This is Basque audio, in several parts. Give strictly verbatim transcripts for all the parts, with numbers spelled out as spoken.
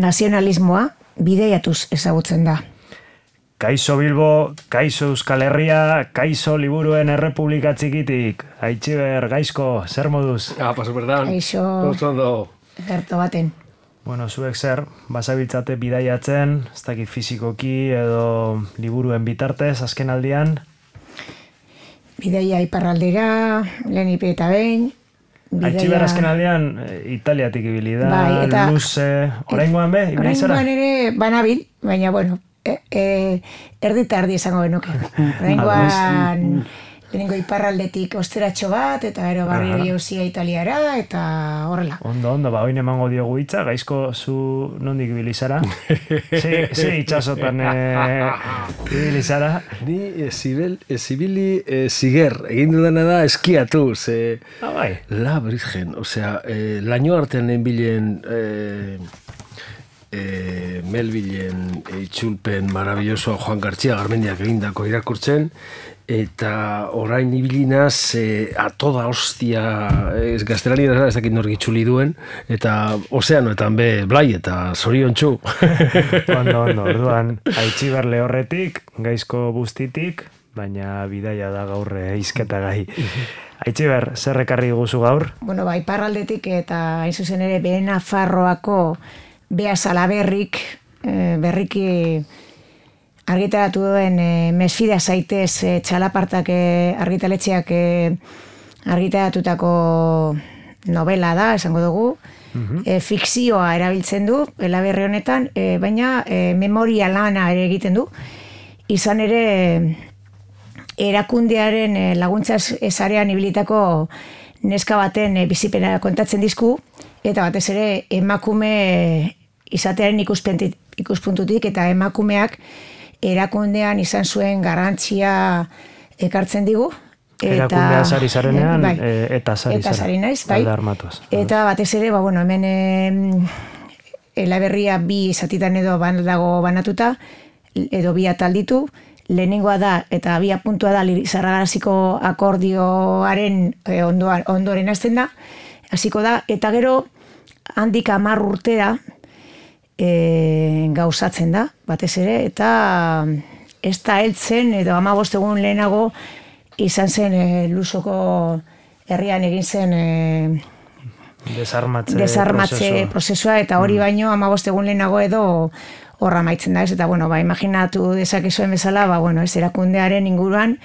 nazionalismoa bideiatuz ezagutzen da. Kaixo Bilbo, kaixo Euskal Herria, kaixo Liburuen Errepublika Txikitik. Aitziber, gaizko, zer moduz? Ah, paso berdan. Kaixo, gerto baten. Bueno, zuek zer, basabiltzate bidaiatzen, ez dakit fizikoki edo liburuen bitartez, azken aldian? Bidaia iparraldera, lehen ipe eta behin. Aitziber azken aldian, Italiatik ibili da, bai, luze, oraingoan be, ibili zara? Oraingoan ere banabil, baina bueno, E, e, erdi eta erdi esango benuke. Oraingoan lehenengo iparraldetik osteratxo bat, eta gero barrio jauzia Italiara, eta horrela. Ondo, ondo, ba, oin emango diogu hitza, gaizko zu nondik bilizara? Ze itxasotan ibili zara? Ni ezibili ziger, egin dudana da eskiatu, ze... Ah, bai. La Virgen, osea, laino artean enbilen... E, Melbilen itxulpen marabilloso Juan Gartxia Garmendiak egindako irakurtzen, eta orain ibilinaz e, a toda hostia ez gaztelania ez dakit nork itxuli duen, eta ozeanoetan be blai eta zoriontsu. Ondo, ondo, orduan Aitziber Lehorretik, gaizko buztitik, baina bidaia da gaur hizketa gai. Aitziber, zer ekarri guzu gaur? Bueno, ba, iparraldetik eta hain zuzen ere Behe Nafarroako Bea Salaberrik berriki argitaratu duen Mesfida zaitez txalapartak argitaletxeak argitaratutako novela da, esango dugu. Fikzioa erabiltzen du, elaberri honetan, baina memoria lana ere egiten du. Izan ere erakundearen laguntza esarean ibilitako neska baten bizipena kontatzen dizku, eta batez ere emakume izatearen ikuspuntutik eta emakumeak erakundean izan zuen garrantzia ekartzen digu. Erakundea sari zarenean, bai, eta sari eta sari naiz, bai. Eta batez ere, ba, bueno, hemen Elaberria bi zatitan edo ban, dago banatuta, edo bi atal ditu. Lehenengoa da, eta bi puntua da, Zarragaziko akordioaren e, ondoan, ondoren hasten da, hasiko da, eta gero handik hamar urtera e, gauzatzen da, batez ere, eta ez da heltzen, edo hamabost egun lehenago izan zen e, Lusoko herrian egin zen e, desarmatze, desarmatze prozesua. prozesua, eta hori baino hamabost egun lehenago edo horra maitzen da, ez, eta bueno, ba, imaginatu dezakezuen bezala, ba, bueno, ez erakundearen inguruan,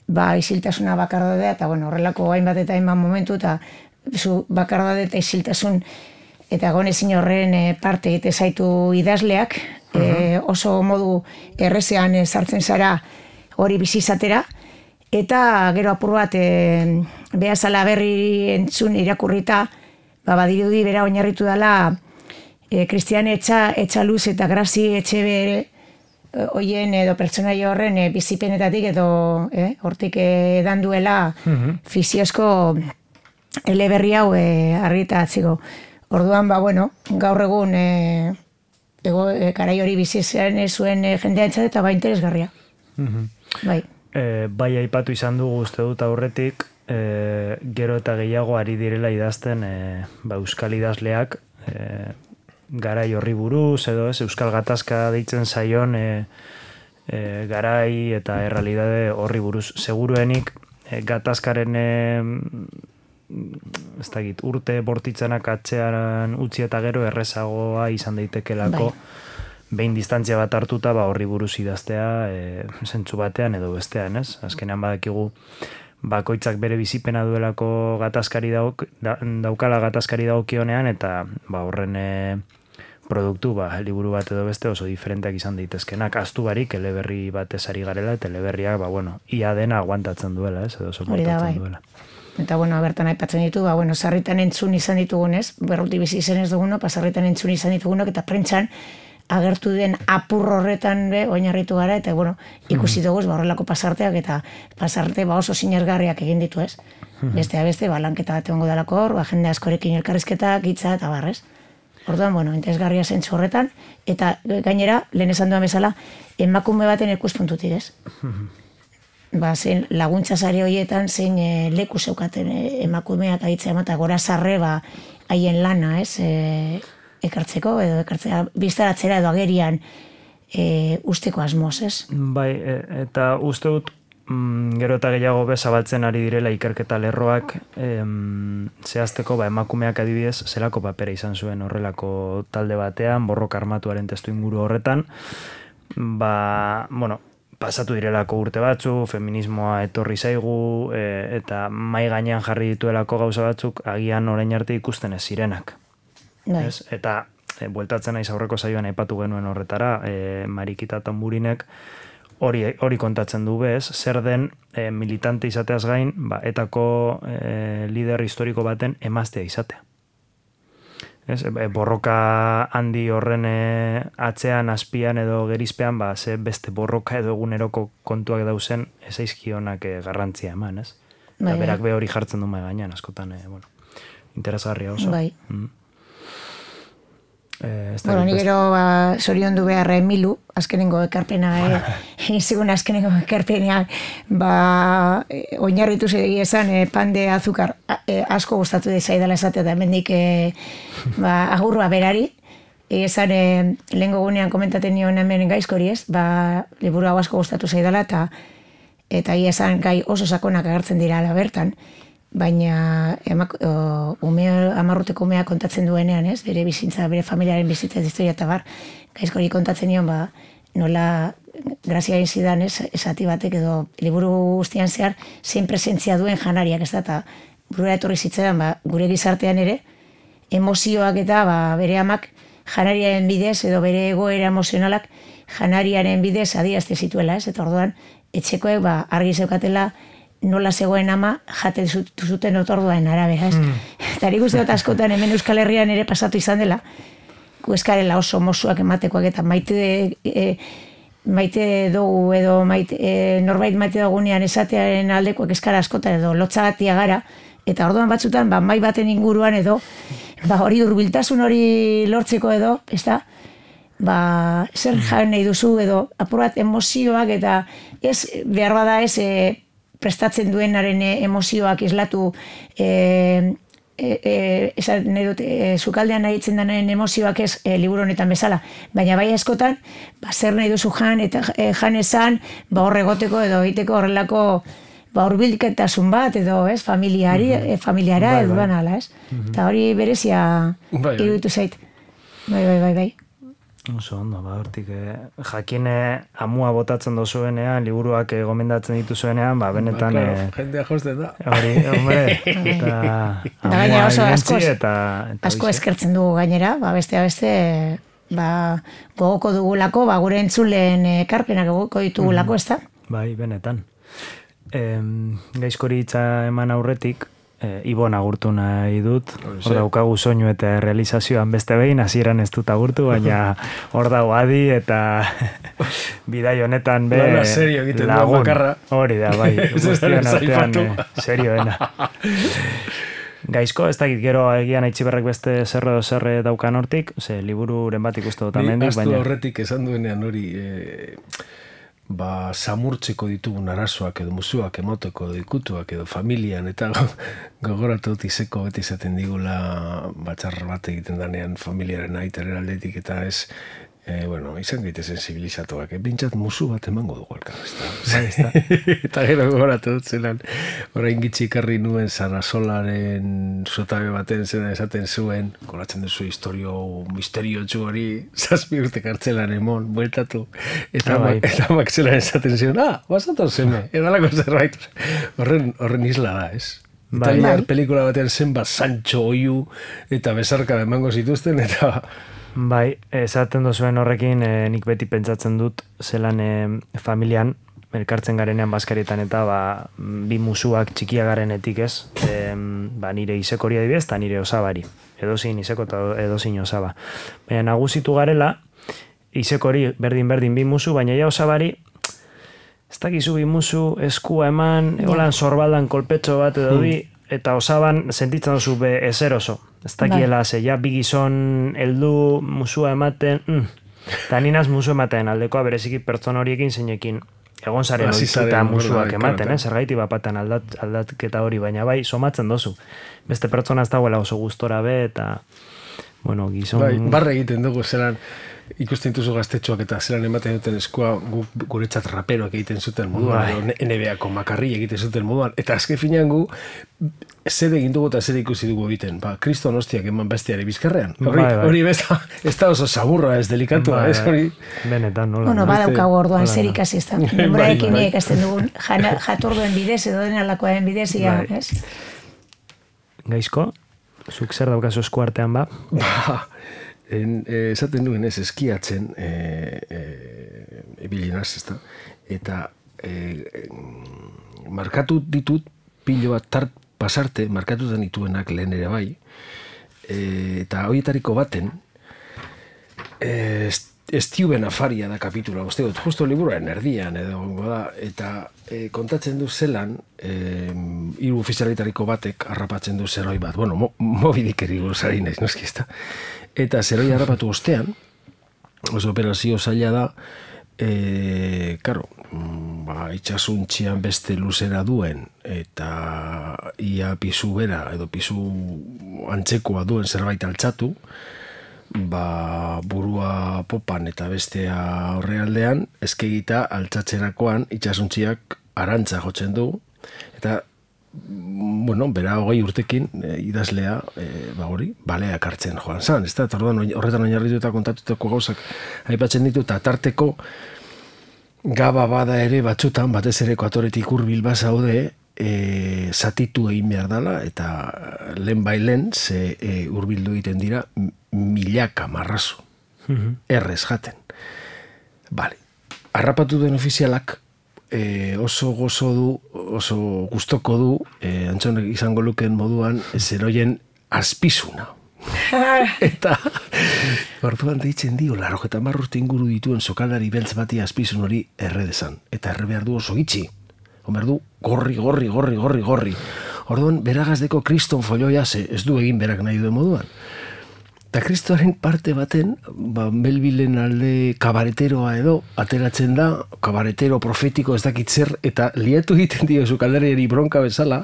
ba, isiltasuna bakardadea, eta bueno, horrelako hainbat eta hainbat momentu, eta zu bakardade eta isiltasun, eta gonezin horren e, parte egite zaitu idazleak, uh-huh. e, oso modu errezean e, sartzen zara hori bizizatera, eta gero apur bat e, Bea Salaberri entzun irakurrita, ba, badirudi bera oinarritu dela e, Kristian Etxa, Etxaluz eta Grazi Etxebere hoien edo pertsonaia horren e, bizipenetatik edo e, hortik edan duela uh-huh. fiziozko eleberri hau e, argitaratzeko. Orduan, ba, bueno, gaur egun e, ego, e, karai hori bizi zen zuen e, jendeantzat eta ba interesgarria. Uh-huh. Bai. E, bai aipatu izan dugu uste dut aurretik, e, gero eta gehiago ari direla idazten e, ba, euskal idazleak e, garai horri buruz, edo ez, euskal gatazka deitzen zaion e, e, garai eta errealidade horri buruz. Seguruenik e, gatazkaren e, ez dakit, urte bortitzenak atzean utzi eta gero errezagoa izan daitekelako behin distantzia bat hartuta ba horri buruz idaztea e, zentzu batean edo bestean, ez? Azkenean badakigu bakoitzak bere bizipena duelako gatazkari dauk, da, daukala gatazkari daukionean eta ba horren e, produktu, ba, liburu bat edo beste oso diferenteak izan daitezkenak. Aztu barik eleberri bat ezari garela eta eleberriak, ba, bueno, ia dena aguantatzen duela, ez? Edo soportatzen duela. Eta, bueno, bertan aipatzen ditu, ba, bueno, sarritan entzun izan ditugunez, berruti bizi izen ez duguno, pasarritan entzun izan ditugunok, eta prentxan agertu den apur horretan be, oinarritu gara, eta, bueno, ikusi dugu, ba, horrelako pasarteak, eta pasarte ba, oso sinesgarriak egin ditu, ez? Bestea beste, ba, lanketa bat egongo dalako hor, ba, jende askorekin elkarrizketak, hitza eta barrez. Orduan, bueno, interesgarria zentzu horretan, eta gainera, lehen esan duan bezala, emakume baten ikuspuntutik, ez? Ba, zein laguntza sare horietan, zein e, leku zeukaten e, emakumeak aitzea emata, gora sarre, ba, haien lana, ez? E, ekartzeko, edo ekartzea biztaratzera edo agerian e, usteko asmoz, ez? Bai, e, eta uste dut, mm, gero eta gehiago bezabaltzen ari direla ikerketa lerroak, em, zehazteko, ba, emakumeak adibidez, zelako papera izan zuen horrelako talde batean, borroka armatuaren testu inguru horretan, ba, bueno, pasatu direlako urte batzu, feminismoa etorri zaigu, e, eta mai gainean jarri dituelako gauza batzuk, agian orain arte ikusten ez zirenak. Ez? Eta e, bueltatzen naiz aurreko saioan aipatu genuen horretara, e, Marikita Tamburinek hori, hori kontatzen du bez, zer den e, militante izateaz gain, ba, etako e, lider historiko baten emaztea izatea. Ez, borroka handi horren atzean, azpian edo gerizpean, ba, ze beste borroka edo eguneroko kontuak dauzen ezaizkionak garrantzia eman, ez? Bai, eta berak be hori jartzen du mai gainean, askotan, e, bueno, interesgarria oso. Bai. Mm. Eh, bueno, ni gero ba, sorion du behar Emilu, azkenengo ekarpena, egin zigun azkenengo ekarpena, ba, e, oinarritu zegi esan, e, pan de azúcar e, asko gustatu dezaidala esatea, eta hemendik e, ba, agurroa berari, e, esan e, lehengo gunean komentaten nion hemen gaizkori ez, ba, liburu hau asko gustatu zaidala, eta eta ia esan gai oso sakonak agertzen dira ala bertan, baina emak, o, ume, amarruteko umea kontatzen duenean, ez? Bere bizitza, bere familiaren bizitza ez historia eta bar, gaizkori kontatzen nion, ba, nola grazia egin zidan, ez? Esati batek edo liburu guztian zehar, zein presentzia duen janariak, ez da, eta burura etorri zitzaidan, ba, gure gizartean ere, emozioak eta ba, bere amak janariaren bidez, edo bere egoera emozionalak janariaren bidez adierazte zituela, ez? Eta orduan, etxekoek ba, argi zeukatela, nola zegoen ama jate zuten otorduaren arabera, ez? Mm. Eta nik uste dut askotan hemen Euskal Herrian ere pasatu izan dela, gu eskarela oso mozuak ematekoak eta maite, e, maite dugu edo maite, e, norbait maite dugunean esatearen aldekoak eskara askotan edo lotzagatia gara, eta orduan batzutan ba, mai baten inguruan edo ba, hori hurbiltasun hori lortzeko edo, ez da? Ba, zer jan nahi duzu edo apur bat emozioak eta ez behar bada ez e, prestatzen duenaren emozioak islatu e, e, e, esan nahi dut, e, sukaldean nahi itzen denaren emozioak ez e, liburu honetan bezala, baina bai askotan ba, zer nahi duzu jan eta e, jan esan ba, horregoteko edo egiteko horrelako ba, hurbilketasun bat edo ez familiari, mm-hmm. e, familiara bai, edo bai. Ala, ez? Mm-hmm. Eta hori berezia bai, iruditu zait. Bai, bai, bai, bai. Oso ondo, ba, hortik, eh, jakine amua botatzen dozuenean, liburuak eh, gomendatzen dituzuenean, ba, benetan... Ba, claro, eh, jendea josten da. Hori, hombre, eta amua irentzi, eta... eta asko eskertzen dugu gainera, ba, bestea beste, ba, gogoko dugulako, ba, gure entzulen ekarpenak gogoko ditugulako, ez da? Bai, benetan. E, gaizkori hitza eman aurretik, E, Ibon agurtu nahi dut, hor daukagu soinu eta realizazioan beste behin, hasieran ez dut agurtu, baina hor dago adi eta bidai honetan be Lana serio egiten lagun. Bakarra. Hori da, bai, guztian artean eh, serioena. Gaizko, ez dakit gero egian Aitziberrek beste zerro edo zerre daukan hortik, ze libururen bat ikustu dut amendik, baina... Ni astu horretik esan duenean hori... E... ba, samurtzeko ditugun arazoak edo musuak emoteko edo ikutuak edo familian eta gogoratu dut izeko beti izaten digula batxar bat egiten danean familiaren aitaren aldetik eta ez e, bueno, izan gaite sensibilizatuak e, bintzat musu bat emango dugu elkar eta gero gogoratu dut zelan orain gitxi ikarri nuen Sarasolaren zotabe baten zena esaten zuen goratzen duzu historio misterio txu hori zazpi urte kartzelan emon bueltatu eta ah, bai. Mak zelan esaten zion ah, basatu zeme, edalako zerbait horren, horren isla da, ez? Bai. Italiar pelikula batean zen bat Sancho Oiu eta besarka emango zituzten eta bai, esaten duzuen horrekin eh, nik beti pentsatzen dut zelan eh, familian elkartzen garenean bazkarietan eta ba, bi musuak txikia garenetik ez e, ba, nire isekori adibidez eta nire osabari edozin iseko eta edozin osaba baina nagusitu garela isekori berdin-berdin bi musu baina ja osabari ez dakizu bi musu eskua eman egolan sorbaldan kolpetxo bat edo bi eta osaban sentitzen duzu be ezer oso ez dakiela ze ja bi gizon heldu musua ematen mm. eta ninaz musu ematen aldekoa bereziki pertsona horiekin zeinekin egon zaren oituta musuak ematen, eh? Zergaiti bapatan aldat, aldatketa hori, baina bai, somatzen dozu. Beste pertsona ez dagoela oso gustora be, eta bueno, gizon... Bai, barra egiten dugu, zelan, ikusten dituzu gaztetxoak eta zelan ematen duten eskua gu, guretzat raperoak egiten zuten moduan, bai. edo N B A-ko makarri egiten zuten moduan, eta azken finean gu, zer egin dugu eta zer ikusi dugu egiten, ba, kriston hostiak eman bestiari bizkarrean, hori, bai, bai. hori besta, ez da oso saburra, ez delikatua, bai, ez hori... Benetan, nola. Bueno, badaukagu orduan zer ikasi ez da, denboraekin bai, bai. ikasten dugun, jaturduen bidez edo denalakoaren bidez, ia, bai. ez? Gaizko, zuk zer daukazu esku artean ba? Ba, en, eh, esaten duen ez, eskiatzen e, e, ebilinaz, ez da? Eta e, markatu ditut pilo bat tart pasarte, markatu denituenak lehen ere bai, e, eta horietariko baten, e, Estiuben afaria da kapitula, uste dut, justo liburuaren erdian, edo, da, eta e, kontatzen du zelan, e, hiru ofizialitariko batek harrapatzen du zeroi bat, bueno, mo, mobidikeri buruzari naiz, noski ez da, eta zeroi harrapatu ostean, oso operazio zaila da, e, karo, ba, itxasuntxian beste luzera duen, eta ia pisu bera, edo pisu antzekoa duen zerbait altxatu, ba, burua popan eta bestea horrealdean, eskegita altzatzerakoan itxasuntziak arantza jotzen du, eta bueno, bera hogei urtekin e, idazlea, e, ba hori, baleak hartzen joan zan, ez da, eta horretan oinarritu eta kontatutako gauzak aipatzen ditu, eta tarteko gaba bada ere batzutan, batez ere ekuatoretik hurbil bazaude, E, zatitu egin behar dela, eta lehen bailen ze e, hurbildu egiten dira milaka marrazo, mm-hmm. errez jaten. Bale, harrapatu den ofizialak e, oso gozo du, oso gustoko du, e, antzonek izango luken moduan, zeroien azpizuna. Eta orduan deitzen dio, laro eta marrurte inguru dituen sokaldari beltz bati azpizun hori erre dezan, eta erre behar du oso gitxi. Omer du, gorri, gorri, gorri, gorri, gorri. Orduan, beragazdeko kriston folioia ze ez du egin berak nahi duen moduan. Eta kristoaren parte baten, ba, Melbilen alde kabareteroa edo, ateratzen da, kabaretero profetiko ez dakit zer, eta liatu egiten dio sukaldariari bronka bezala,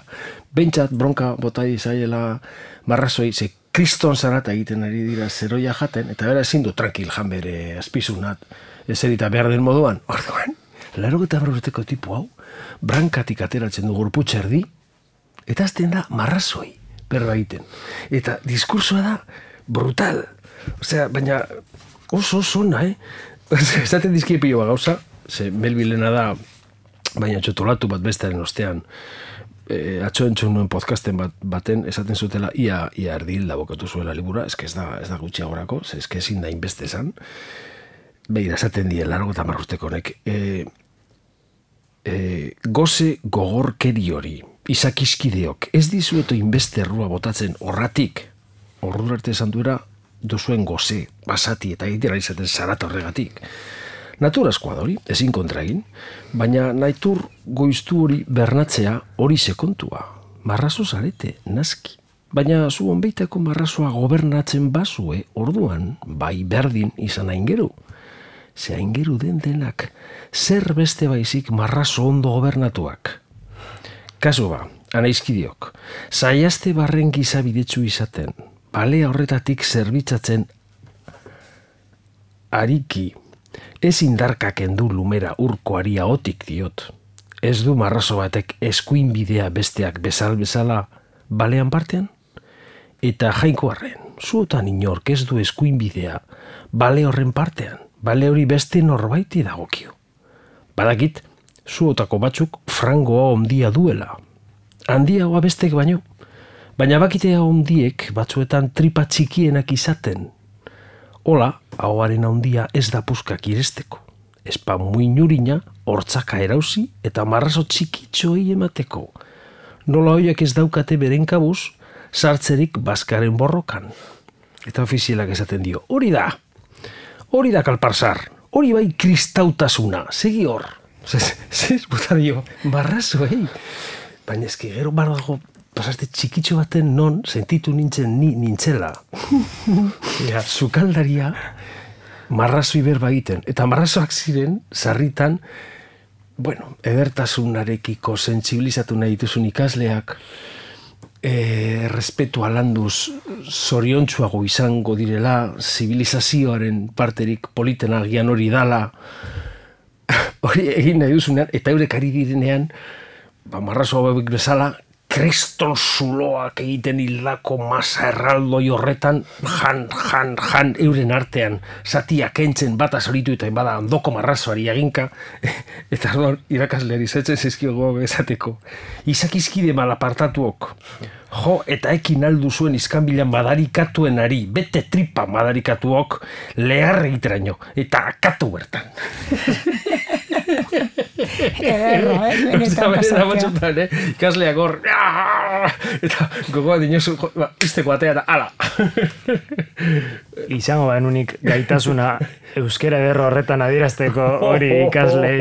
bentsat bronka botai zaiela marrazoi, ze kriston zarata egiten ari dira zeroia jaten, eta bera ezin du tranquil jan bere azpizunat, ez erita behar den moduan. Orduan, laro eta barrurteko tipu hau, brankatik ateratzen du gorputz erdi, eta azten da marrazoi berba egiten. Eta diskursoa da brutal. Osea, baina oso oso ona, eh? Esaten dizkie pilo bat gauza, ze Melbilena da, baina txotolatu bat bestearen ostean, e, atzo entzun nuen podcasten bat, baten esaten zutela ia, ia erdil da bokatu zuela libura, ez ez da, ez da gutxiagorako, ez ezin da inbeste esan. Begira, esaten die, largo eta marrusteko honek. E, E, goze gogorkeri hori, izakizkideok, ez dizueto inbeste errua botatzen horratik, ordura arte esan duera, duzuen goze, basati eta egitera izaten zarata horregatik. Naturazkoa da hori, ezin kontra egin, baina nahitur goiztu hori bernatzea hori sekontua, marrazo zarete, naski. Baina zu onbeitako marrazoa gobernatzen bazue, orduan, bai berdin izan aingeru. Ze aingeru den denak, zer beste baizik marrazo ondo gobernatuak. Kasu ba, anaizkidiok, zaiazte barren gizabidetsu izaten, balea horretatik zerbitzatzen ariki, ez indarkak endu lumera urkoari ahotik diot. Ez du marrazo batek eskuin bidea besteak bezal bezala balean partean? Eta jainkoarren, zuotan inork ez du eskuin bidea bale horren partean. Bale hori beste norbaiti dagokio. Badakit, zuotako batzuk frangoa ondia duela. Handiagoa bestek baino. Baina bakitea ondiek batzuetan tripa txikienak izaten. Hola, ahoaren ondia ez da puskak iresteko. Espa muinurina, hortzaka erauzi eta marrazo txikitxoi emateko. Nola hoiak ez daukate beren kabuz, sartzerik bazkaren borrokan. Eta ofizialak esaten dio, hori da! Hori da kalparsar, hori bai kristautasuna, segi hor. Zez, buta dio, marrazo, eh? Baina ezki gero bardago pasaste txikitxo baten non sentitu nintzen ni nintzela. Ja, sukaldaria marrazoi berba egiten. Eta marrazoak ziren, sarritan, bueno, edertasunarekiko sentsibilizatu nahi dituzun ikasleak, e, respetua landuz zoriontsuago izango direla, zibilizazioaren parterik politena agian hori dala, hori egin nahi duzunean, eta eurek ari direnean, ba, marrazo hauek bezala, kriston zuloak egiten hildako masa erraldoi horretan, jan, jan, jan, euren artean, zatiak entzen bata zoritu eta bada ondoko marrazoari eginka, eta orduan irakasleari zetzen zizkiogo esateko. Izakizkide malapartatuok, jo, eta ekin aldu zuen izkanbilan madarikatuen ari, bete tripa madarikatuok, lehar egiteraino, eta akatu bertan. Erra, eh? Benetan pasatzea. Eh? Ikasleak hor, eta gogoa dinosu, izteko atea eta ala. Izango bain unik gaitasuna euskera ederro horretan adierazteko hori ikaslei.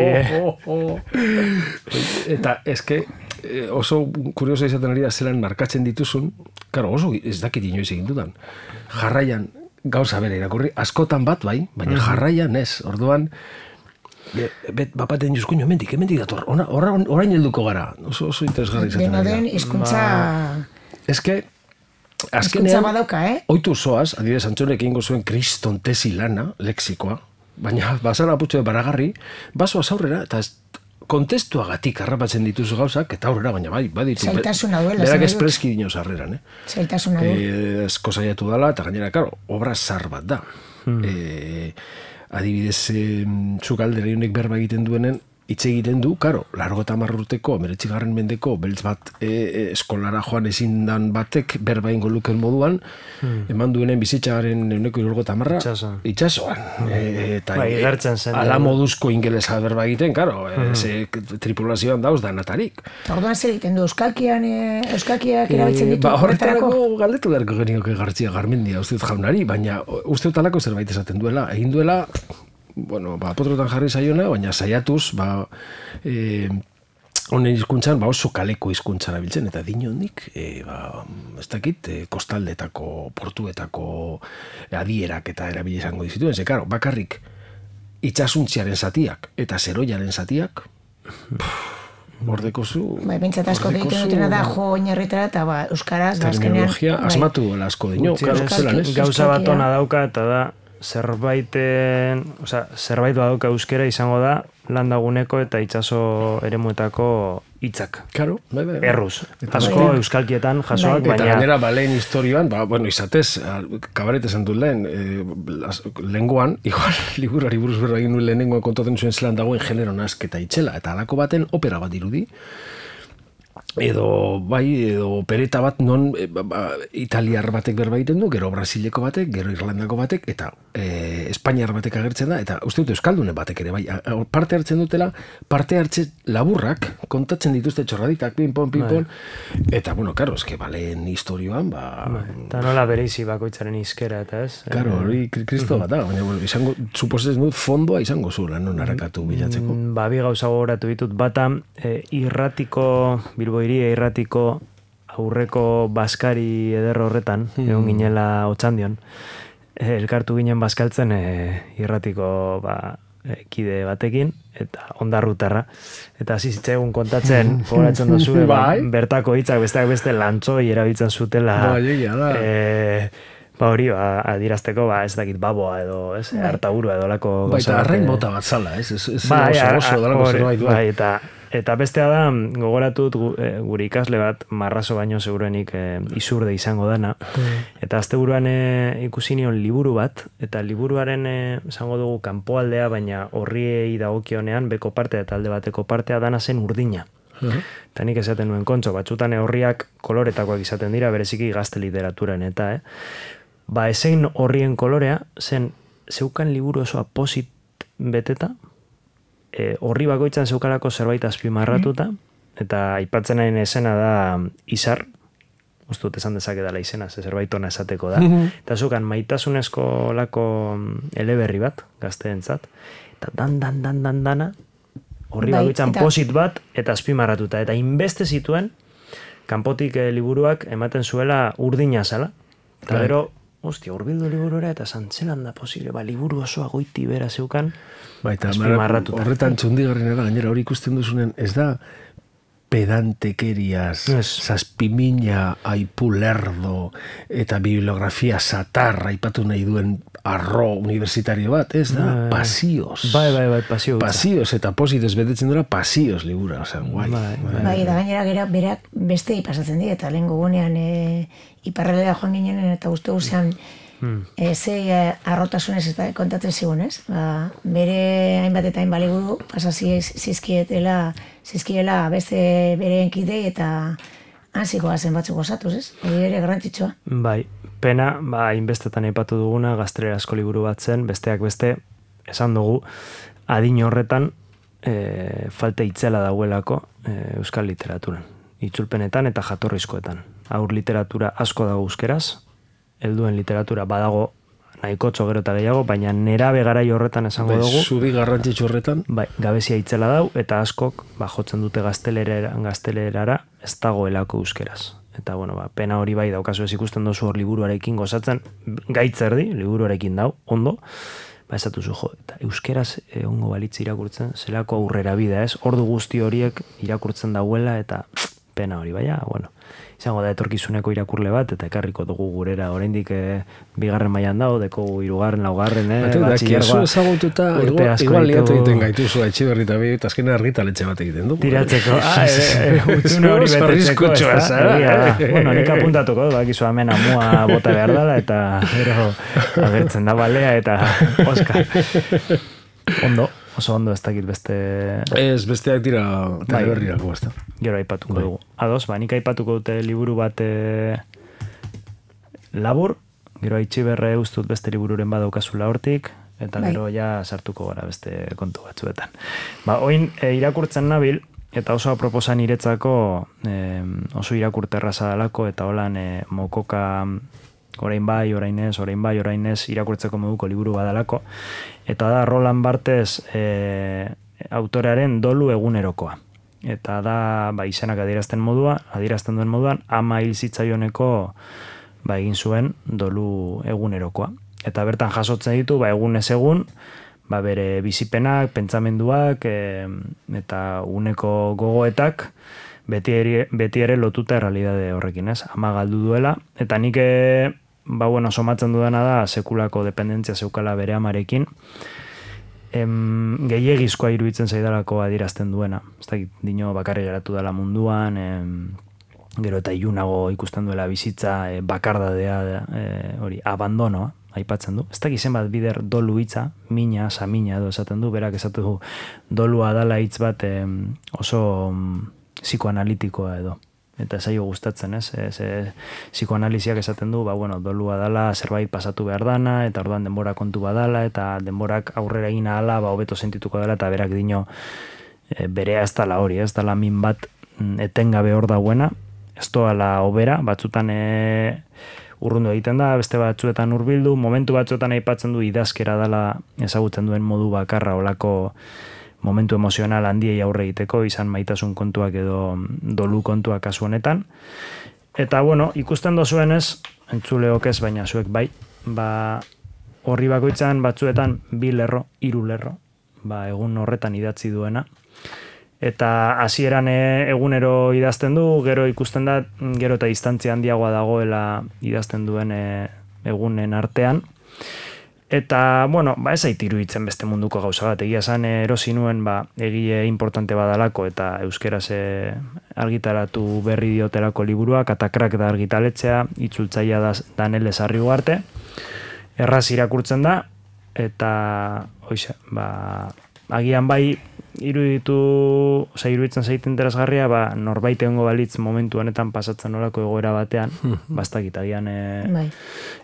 Eta eske oso kuriosa izaten ari da zelan markatzen dituzun, karo, oso ez dakit inoiz egin dudan. Jarraian, gauza bere irakurri, askotan bat bai, baina jarraian ez, orduan, bet bapaten juzkuño, emendik, emendik dator, orain helduko gara, oso, oso interesgarri izaten ari da. Dena den, hizkuntza... Eske, azkenean, badauka, eh? Oitu zoaz, adibidez Antxonek egingo zuen kriston tesi lana, lexikoa, baina basara aputxo de baragarri, basoaz aurrera, eta kontestuagatik harrapatzen dituzu gauzak, eta aurrera, baina bai, baditu. Zaitasuna duela. Berak espreski dinoz harreran, eh? Zaitasuna duela. Eh, esko zaiatu dela, eta gainera, karo, obra zar bat da. Hmm. Eh, adibidez, eh, zuk aldera honek berba egiten duenen, hitz egiten du, karo, largo eta marrurteko, meretzigarren mendeko, beltz bat e, e, eskolara joan ezin dan batek berba ingo luken moduan, hmm. eman duenen bizitzaren euneko irurgo eta marra, itxasoan. Hmm. E, eta ba, igartzen zen. Ala moduzko ingelesa berba egiten, karo, hmm. e, tripulazioan dauz danatarik. Orduan zer egiten du, euskalkian, e, euskalkiak erabiltzen ditu? Ba, horretarako galdetu beharko genioke Gartzia Garmendia, uste dut jaunari, baina uste dut alako zerbait esaten duela, egin duela, bueno, ba, potrotan jarri zaiona, baina saiatuz, ba, e, honen hizkuntzan, ba, oso kaleko hizkuntzara biltzen, eta dinondik, e, ba, ez dakit, e, kostaldetako, portuetako adierak eta erabili izango dizituen, ze, karo, bakarrik itsasuntziaren zatiak eta zeroiaren zatiak, bordeko zu... Bai, bintzat asko egiten dutena da, jo oinarritara, eta ba, euskaraz, da azkenean... Terminologia, asmatu duela asko dino, gauza bat ona dauka, eta da, zerbaiten, osea, zerbait badauka euskera izango da landaguneko eta itsaso eremuetako hitzak. Claro, bai, bai. Erruz. Asko euskalkietan jasoak, baina... Eta gainera, ba, lehen historioan, ba, bueno, izatez, kabaret esan dut lehen, e, lenguan, igual, liburari buruz berra egin nuen lehenengoan kontatzen zuen zelan dagoen genero nasketa itxela, eta alako baten opera bat dirudi, edo bai, edo opereta bat non e, ba, italiar batek berba egiten du, gero brasileko batek, gero irlandako batek, eta e, espainiar batek agertzen da, eta uste dut euskaldunen batek ere, bai, parte hartzen dutela, parte hartzen laburrak, kontatzen dituzte txorraditak, pinpon, pinpon, eta, bueno, karo, eske balen historioan, ba... Eta nola bereizi bakoitzaren izkera, eta ez? Karo, hori kristo bat da, baina, bueno, izango, suposetzen dut, fondoa izango zula, non harakatu bilatzeko. Ba, bi gauza gogoratu ditut, bata, e, irratiko, Bilbo Iria irratiko aurreko baskari ederro horretan, hmm. egon ginela Otxandion, e, elkartu ginen bazkaltzen e, irratiko ba, e, kide batekin, eta ondarrutarra, eta hasi zitzaigun kontatzen, gogoratzen dozu, ba, bertako hitzak besteak beste lantzoi erabiltzen zutela, ba, e, ba hori, ba, adirazteko, ba, ez dakit baboa edo, ez, hartaburua edo lako... Ba, eta arrain bota bat zala, ez, ez, ez ba, oso, oso, dalako zerbait bai, eta Eta bestea da, gogoratut gure ikasle bat, marrazo baino seguruenik e, izurde izango dana. Mm. Eta asteburuan e, ikusi nion liburu bat, eta liburuaren e, esango dugu kanpoaldea, baina horriei dagokionean beko partea eta alde bateko partea dana zen urdina. Mm. Eta nik esaten nuen kontxo, batzutan horriak koloretakoak izaten dira, bereziki gazte literaturan eta, eh? Ba, ezein horrien kolorea, zen zeukan liburu osoa posit beteta, E, horri bakoitzan zeukalako zerbait azpimarratuta, eta aipatzen nahi esena da izar, uste dut esan dezake dela izena, ze zerbait ona esateko da, eta zeukan maitasunezko lako eleberri bat, gazteentzat, eta dan, dan, dan, dan, dana, horri bakoitzan eta... posit bat, eta azpimarratuta, eta inbeste zituen, kanpotik e, liburuak ematen zuela urdina zala, eta gero, hostia, urbildu liburura eta zantzelan da posible, ba, liburu osoa goiti bera zeukan, azpimarratuta. Horretan txundigarren era, gainera hori ikusten duzunen, ez da pedantekeriaz, zazpimina aipu lerdo eta bibliografia satarra aipatu nahi duen arro universitario bat, ez da? Pasioz. Bai, bai, bai, pasioz. Pasioz, eta positez betetzen dura pasioz libura, oza, guai. Bai, bai, eta gainera gera berak beste pasatzen dira, eta lehen gugunean e, iparraldera joan ginen, eta uste guzean hmm. e, ze arrotasunez eta kontatzen zigun, ez? Ba, bere hainbat eta hainbat liburu pasazio zizkietela, zizkiela beste bere enkidei eta hanzikoa zen batzuk osatuz, ez? Hori ere garrantzitsua. Bai, pena, ba, hainbestetan aipatu duguna, gaztelerasko liburu bat zen, besteak beste, esan dugu, adin horretan e, falta itzela dauelako e, euskal literaturan. Itzulpenetan eta jatorrizkoetan. Aur literatura asko dago euskeraz, helduen literatura badago nahikotxo gero eta gehiago, baina nerabe garai horretan esango dugu. Zuri garrantzitsu horretan. Bai, gabezia itzela dau, eta askok ba, jotzen dute gaztelerara, gaztelerara ez dagoelako euskeraz. Eta, bueno, ba, pena hori bai daukazu ez ikusten dozu hor liburuarekin gozatzen, gaitzerdi, liburuarekin dau, ondo, ba, esatuzu jo, eta euskeraz ongo balitz irakurtzen, zelako aurrera bida, ez? Ordu guzti horiek irakurtzen dauela, eta pena hori, baina, bueno, izango da etorkizuneko irakurle bat, eta ekarriko dugu gurera, oraindik e, bigarren mailan dago, deko hirugarren, laugarren, eh, batxillergoa. Ezagututa, igual liatu egiten gaituzu, Etxiberri eta bi, eta azkena argitaletxe bat egiten du. Tiratzeko, ah, utzune hori betetzeko, ez da? Bueno, nik apuntatuko, bakizu hemen amua bota behar dela, eta gero agertzen da balea, eta Oskar. Ondo. Oso ondo ez dakit beste... Ez, besteak dira teleberrirako, ez da. Gero aipatuko dugu. Ados, ba, nik aipatuko dute liburu bat e, labur, gero Etxiberre ustut beste libururen badaukazula hortik, eta gero ja sartuko gara beste kontu batzuetan. Ba, oin e, irakurtzen nabil, eta oso proposan iretzako e, oso irakurterraza dalako, eta holan e, mokoka... orain bai, orain ez, orain bai, orain ez, irakurtzeko moduko liburu badalako. Eta da Roland Barthes e, autorearen dolu egunerokoa. Eta da ba, izenak adierazten modua, adierazten duen moduan, ama hil zitzaioneko ba, egin zuen dolu egunerokoa. Eta bertan jasotzen ditu, ba, egun ez egun, ba, bere bizipenak, pentsamenduak, e, eta uneko gogoetak, beti ere, beti ere lotuta errealidade horrekin, ez? Ama galdu duela, eta nik ba, bueno, somatzen dudana da sekulako dependentzia zeukala bere amarekin, em, gehiegizkoa iruditzen zaidalako adierazten duena. Ez dakit, dino bakarri geratu dela munduan, em, gero eta ilunago ikusten duela bizitza, e, bakardadea, e, hori, abandonoa, aipatzen du. Ez dakit zenbat bider dolu hitza, mina, samina edo esaten du, berak esatu du dolua dala hitz bat em, oso em, psikoanalitikoa edo. Eta zaio gustatzen, ez? Ez, ez, psikoanaliziak esaten du, ba, bueno, dolua dala, zerbait pasatu behar dana, eta orduan denbora kontu badala, eta denborak aurrera egin ahala, ba, hobeto sentituko dela, eta berak dino e, berea ez dala hori, ez dala min bat etengabe hor dauena, ez doala obera, batzutan e, urrundu egiten da, beste batzuetan hurbildu, momentu batzuetan aipatzen du idazkera dala ezagutzen duen modu bakarra olako momentu emozional handiei aurre egiteko, izan maitasun kontuak edo dolu kontuak kasu honetan. Eta, bueno, ikusten dozuenez, entzuleok ez, baina zuek bai, ba, horri bakoitzan batzuetan bi lerro, hiru lerro, ba, egun horretan idatzi duena. Eta hasieran egunero idazten du, gero ikusten da, gero eta distantzia handiagoa dagoela idazten duen e, egunen artean. Eta, bueno, ba, ez aitiru itzen beste munduko gauza bat. Egia esan erosi nuen, ba, egile importante badalako eta euskeraz argitaratu berri diotelako liburuak, Katakrak da argitaletzea, itzultzaia da Danele Sarri Ugarte. Erraz irakurtzen da, eta, oize, ba, agian bai, iruditu, oza, iruditzen zaite interesgarria, ba, norbait egongo balitz momentu honetan pasatzen olako egoera batean, bastakit, agian, e, bai.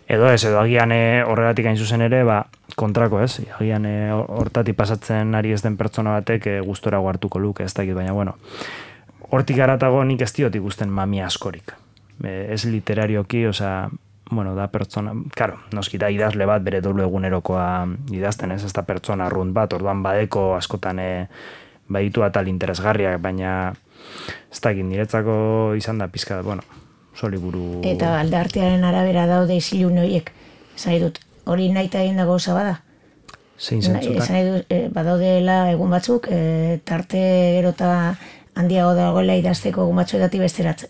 edo ez, edo agian e, horregatik hain zuzen ere, ba, kontrako ez, agian e, hortatik pasatzen ari ez den pertsona batek e, gustora hartuko luke, ez dakit, baina, bueno, hortik aratago nik ez diot ikusten mamia askorik, e, ez literarioki, oza, bueno, da pertsona, karo, noski da idazle bat bere dolu egunerokoa idazten, ez, ez da pertsona arrunt bat, orduan badeko askotan e, baditu atal interesgarriak, baina ez dakit niretzako izan da pizka, bueno, soliburu... Eta aldartearen arabera daude izilun horiek, esan dut, hori nahi eta egin dago osa bada? Zein zentzutan? Esan dut, e, badaudela egun batzuk, e, tarte gero eta handiago dagoela idazteko gumatxoetatik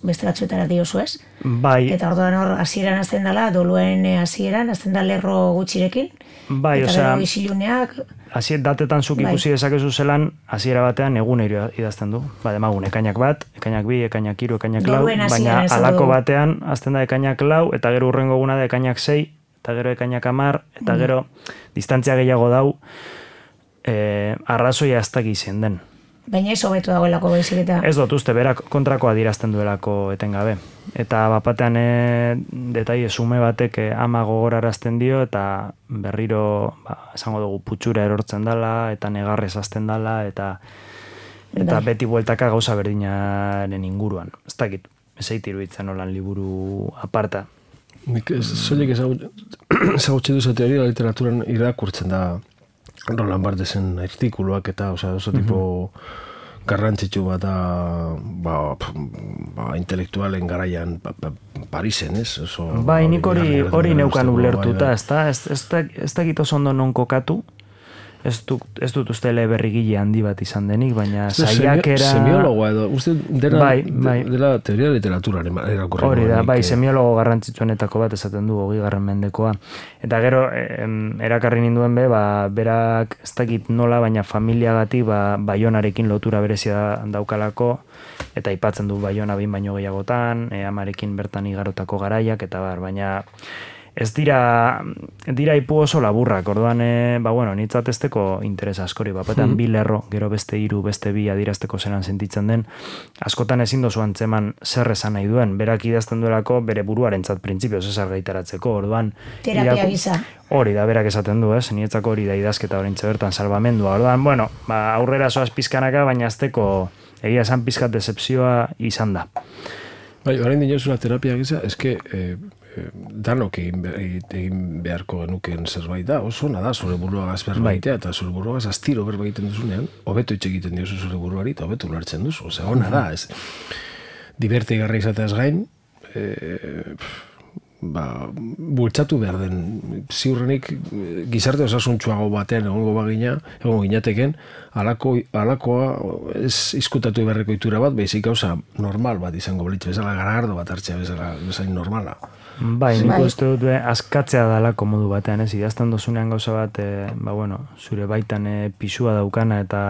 besteratxoetara diozu ez? Bai. Eta orduan hor, hasieran azten dela, doluen hasieran, azten da lerro gutxirekin. Bai, eta osea, gero isiluneak. Hasiet datetan zuk ikusi bai. dezakezu zelan, hasiera batean egunero idazten du. Ba, demagun, ekainak bat, ekainak bi, ekainak hiru, ekainak lau, baina halako batean azten da ekainak lau, eta gero urrengo eguna da ekainak sei, eta gero ekainak hamar, eta gero distantzia gehiago dau, eh, arrazoia ez dakiz zen den. Baina ez hobetu dagoelako baizik eta... Ez dut uste, berak kontrakoa adierazten duelako etengabe. Eta bapatean e, detaile sume batek e, ama gogorarazten dio, eta berriro, ba, esango dugu, putxura erortzen dala, eta negarrez azten dala, eta eta beti bueltaka gauza berdinaren inguruan. Ez dakit, ez eitiru itzen olan liburu aparta. Nik ez, soilik ezagutzen duzu teoria literaturan irakurtzen da Roland Barthesen artikuluak eta, osea, oso tipo garrantzitsu bat da, ba, ba, intelektualen garaian ba, ba, Parisen, ez? Oso, bai, nik hori hori neukan ulertuta, ez da, ez, ez, ez da gito ondo non kokatu, ez dut, ez dut uste eleberrigile handi bat izan denik, baina saiakera... Semiologoa edo, uste dena, bai, bai. dela teoria literaturaren erakurren. Hori da, bai, semiologo garrantzitsuenetako bat esaten du hogei garren mendekoa. Eta gero, em, erakarri ninduen be, ba, berak ez dakit nola, baina familiagatik ba, Baionarekin lotura berezia daukalako, eta aipatzen du Baiona behin baino gehiagotan, e, amarekin bertan igarotako garaiak, eta bar, baina... Ez dira, dira ipu oso laburrak, orduan, e, ba, bueno, nitzat ezteko interesa askori, bapetan bi lerro, gero beste hiru, beste bi adirazteko zelan sentitzen den, askotan ezin dozu antzeman zer esan nahi duen, berak idazten duelako bere buruarentzat printzipioz ez argaitaratzeko, orduan... Terapia gisa. Hori da, berak esaten du, ez, nietzako hori da idazketa horintze bertan salbamendua, orduan, bueno, ba, aurrera zoaz pizkanaka, baina azteko egia esan pizkat decepzioa izan da. Bai, orain dinozula terapia gisa, eske... Eh... danok egin, egin beharko genuken zerbait da, oso nada zure buruagaz berbaitea, eta zure buruagaz astiro berbaiten duzunean, hobeto hitz egiten diozu zure buruari, eta hobeto ulertzen duzu, osea, ona da, ez. Diberte igarra izateaz gain, e, ba, bultzatu behar den, ziurrenik gizarte osasuntxuago batean egongo bagina, egongo ginateken, alako, alakoa ez izkutatu beharreko itura bat, baizik gauza normal bat izango blitz, bezala garagardo bat hartzea bezala, bezain normala. Bai, nik uste dut askatzea dalako modu batean, ez, idazten dozunean gauza bat, e, ba, bueno, zure baitan e, pisua daukana, eta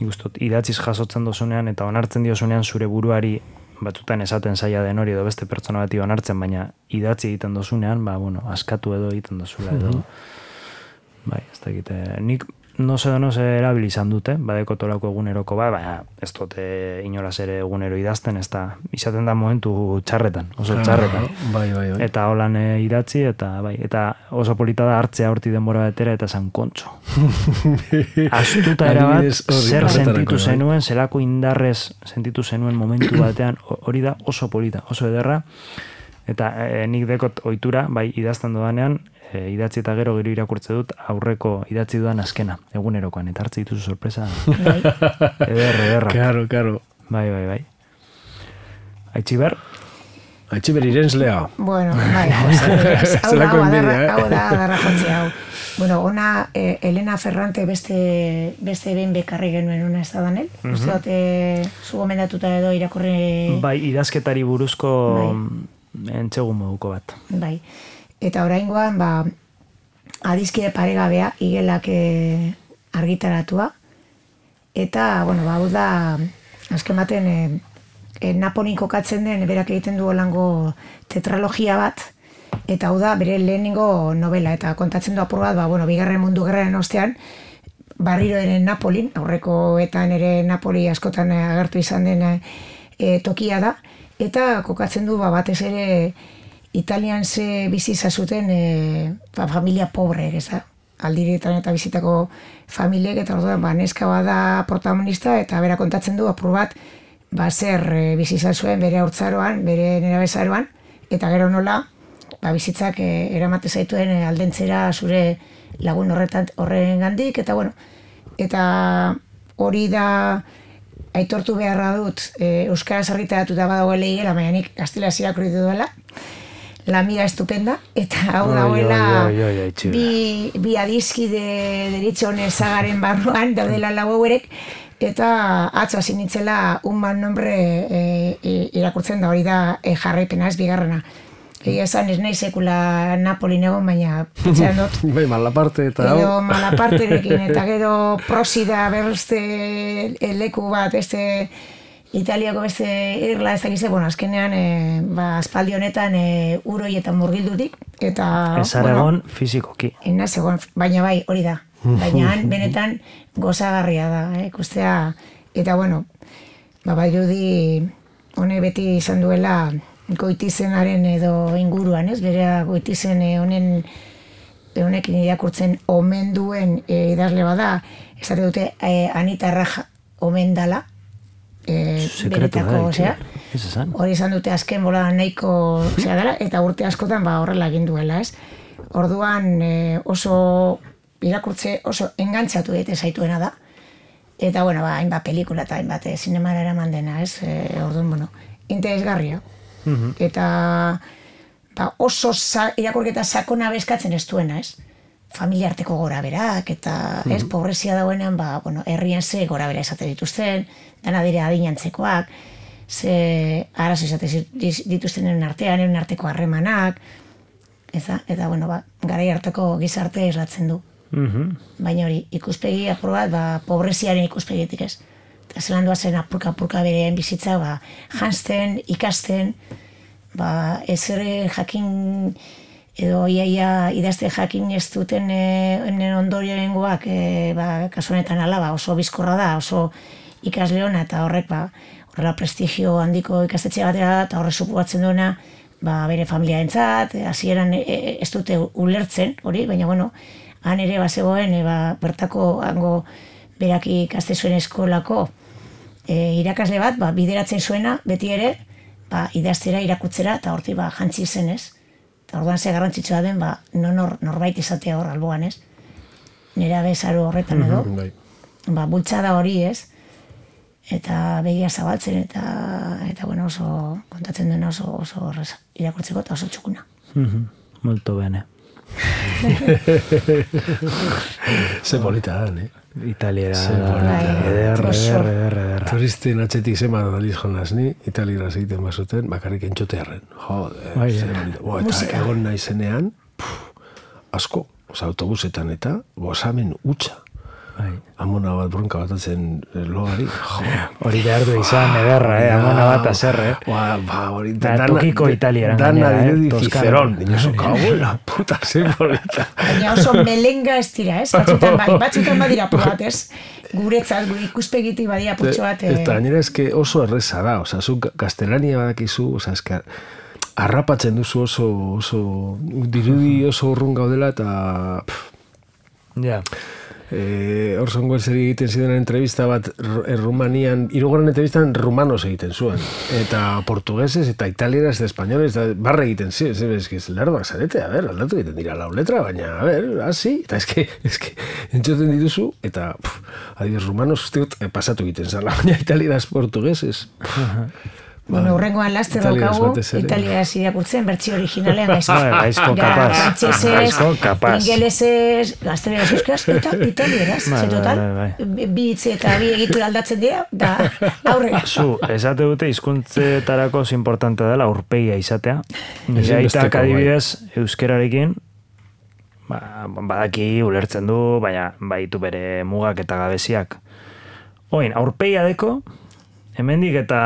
nik uste dut idatziz jasotzen dozunean, eta onartzen diozunean zure buruari, batzutan esaten zaila den hori edo beste pertsona bati onartzen, baina idatzi egiten dozunean, ba, bueno, askatu edo egiten dozula edo, bai, ez da egite, nik no se no se erabili izan dute, badeko tolako eguneroko ba, baina ez dute inolaz ere egunero idazten, ez da, izaten da momentu txarretan, oso txarretan. Bai, bai, bai. Eta holan e, idatzi, eta bai, eta oso polita da hartzea horti denbora betera eta zan kontxo. Astuta erabat, zer sentitu zenuen, zelako indarrez sentitu zenuen momentu batean, hori da oso polita, oso ederra, eta e, nik dekot ohitura, bai, idazten dodanean, E, idatzi eta gero gero irakurtze dut aurreko idatzi dudan azkena, egunerokoan, eta hartze dituzu sorpresa. Eder, ederra. Karo, karo. Bai, bai, bai. Aitziber? Aitziber irenslea. Bueno, bai. Hau da, hau da, adarra jotzi hau. Bueno, ona, eh, Elena Ferrante beste, beste behin bekarri genuen ona ez da danel. Uh-huh. Uste dut, eh, zu gomendatuta edo irakurri... Bai, idazketari buruzko bai. Entxegun moduko bat. Bai. Eta oraingoan, ba, adizkide paregabea, igelak e, argitaratua. Eta, bueno, ba, hau da, azken baten, e, e, Napolin kokatzen den, berak egiten du holango tetralogia bat, eta hau da, bere lehenengo novela, eta kontatzen du apur bat, ba, bueno, bigarren mundu gerraren ostean, barriro ere Napolin, aurrekoetan ere Napoli askotan agertu izan den e, tokia da, eta kokatzen du, ba, batez ere, Italian ze biziza zuten e, ba, familia pobreek, ez da? Aldirietan eta bizitako familiek, eta orduan, ba, neska bada protagonista, eta bera kontatzen du, apur bat, ba, zer e, biziza zuen bere haurtzaroan, bere nerabezaroan, eta gero nola, ba, bizitzak e, eramate zaituen e, aldentzera zure lagun horretan horren gandik, eta bueno, eta hori da aitortu beharra dut, e, euskaraz argitaratuta badagoela igela, baina nik gaztelaz irakurri duela, La amiga estupenda, eta hau dagoela bi, bi adizkide deritzon ezagaren barruan, daudela lau hauerek, eta atzo hasi nintzela un mal nombre e, irakurtzen da, hori da e, jarraipena, ez bigarrena. Egia esan ez nahi sekula Napolin egon, baina pentsean dut. Bai, malaparte eta hau. Edo malaparterekin, eta gero prosida berste leku bat, este Italiako beste irla ez dakize, bueno, azkenean, e, ba, aspaldi honetan e, uroi eta murgildutik, eta... Ez aragon bueno, fizikoki. Enaz egon, baina bai, hori da. Baina benetan gozagarria da, eh, ikustea, eta bueno, ba, bai dirudi, hone beti izan duela, goitizenaren edo inguruan, ez? Berea goitizen honen honekin irakurtzen omen duen e, idazle bada, esate dute e, Anita Raja omen dala, e, benetako, osea, hori izan dute azken bola nahiko osea dela, eta urte askotan ba, horrela egin duela, ez? Orduan e, oso irakurtze oso engantzatu daite zaituena da, eta bueno, ba, hainbat pelikula eta hainbat e, zinemara eraman dena, ez? E, orduan, bueno, interesgarria. Uh-huh. Eta ba, oso sa, irakurketa sakona bezkatzen ez duena, ez? Familia arteko gora berak, eta uh-huh. ez, pobrezia dagoenean, ba, bueno, herrian ze gora bera esate dituzten, dana dire adinantzekoak, ze arazo esate dituztenen artean, eren arteko harremanak, eta, eta bueno, ba, garai harteko gizarte eslatzen du. Uh-huh. Baina hori, ikuspegi apur bat, ba, pobreziaren ikuspegitik ez. Eta zelan duazen apurka-apurka berean bizitza, ba, janzten, ikasten, ba, ez ere jakin, edo iaia idazte jakin ez duten e, ondorioengoak, e, ba, kasu honetan ala, ba, oso bizkorra da, oso ikasleona, eta horrek, ba, horrela prestigio handiko ikastetxe batera, eta horrek supoatzen duena, ba, bere familiarentzat, hasieran e, e, ez dute ulertzen, hori, baina, bueno, han ere, ba, zegoen, e, ba, bertako, hango, berak ikaste zuen eskolako e, irakasle bat, ba, bideratzen zuena, beti ere, ba, idaztera, irakutzera, eta horti ba, jantzi zen, ez? Eta orduan ze garrantzitsua den, ba, nonor, norbait izatea hor alboan, ez? Nera bezaro horretan edo, mm-hmm, ba, bultzada hori, ez? Eta begia zabaltzen, eta, eta bueno, oso, kontatzen duen oso, oso horreza, irakurtzeko eta oso txukuna. Mm-hmm. Molto bene. Ze polita da, ne? Italiera da, eder, eder, eder, eder. Turisten atxetik zeman analiz jonaz ni, italiera egiten bazuten, bakarrik entxotearren. Jode, ze polita. Bo, eta egon nahi zenean, asko, oza, autobusetan eta, gozamen utxa. Amona bat bronka batatzen logari. Hori behar du izan, ederra, eh? Amona bat azerre. Ba, ba, hori... Tokiko italieran. Dana dirudi Cicerón. Dinoso, kago la puta, ze polita. Baina oso melenga ez dira, ez? Batzutan bai, batzutan badira pugat, ez? Guretzat, gure ikuspegitik badira putxo bat. Eta nire eske oso erreza da, oza, zu gaztelania badakizu, oza, eske harrapatzen duzu oso, oso, dirudi oso urrun gaudela, eta... Ja. Orson Welles egiten ziren entrevista bat Rumanian, hirugarren entrevistan rumanos egiten zuen, eta portugueses, eta italieraz, eta espainoles, eta barre egiten ziren, ez que lerdoak zarete, a ber, aldatu egiten dira lau letra, baina, a ber, hasi, eta eske, eske, entzoten dituzu, eta, adibidez, rumanos usteot pasatu egiten zala, baina italieraz, portugueses. Bueno, urrengoan laster daukagu, italiaraz irakurtzen, bertsi originalean gaizko. Gaizko kapaz. Gaizko kapaz. Ingelesez, gazteleraz euskaz, eta italieraz. Ze total, bi hitze eta bi egitura aldatzen dira, da aurrera. Zu, esate dute hizkuntzetarako oso importante dela aurpegia izatea. Jaitak adibidez, euskerarekin, badaki ulertzen du, baina baitu bere mugak eta gabeziak. Oin, aurpegia deko, hemendik eta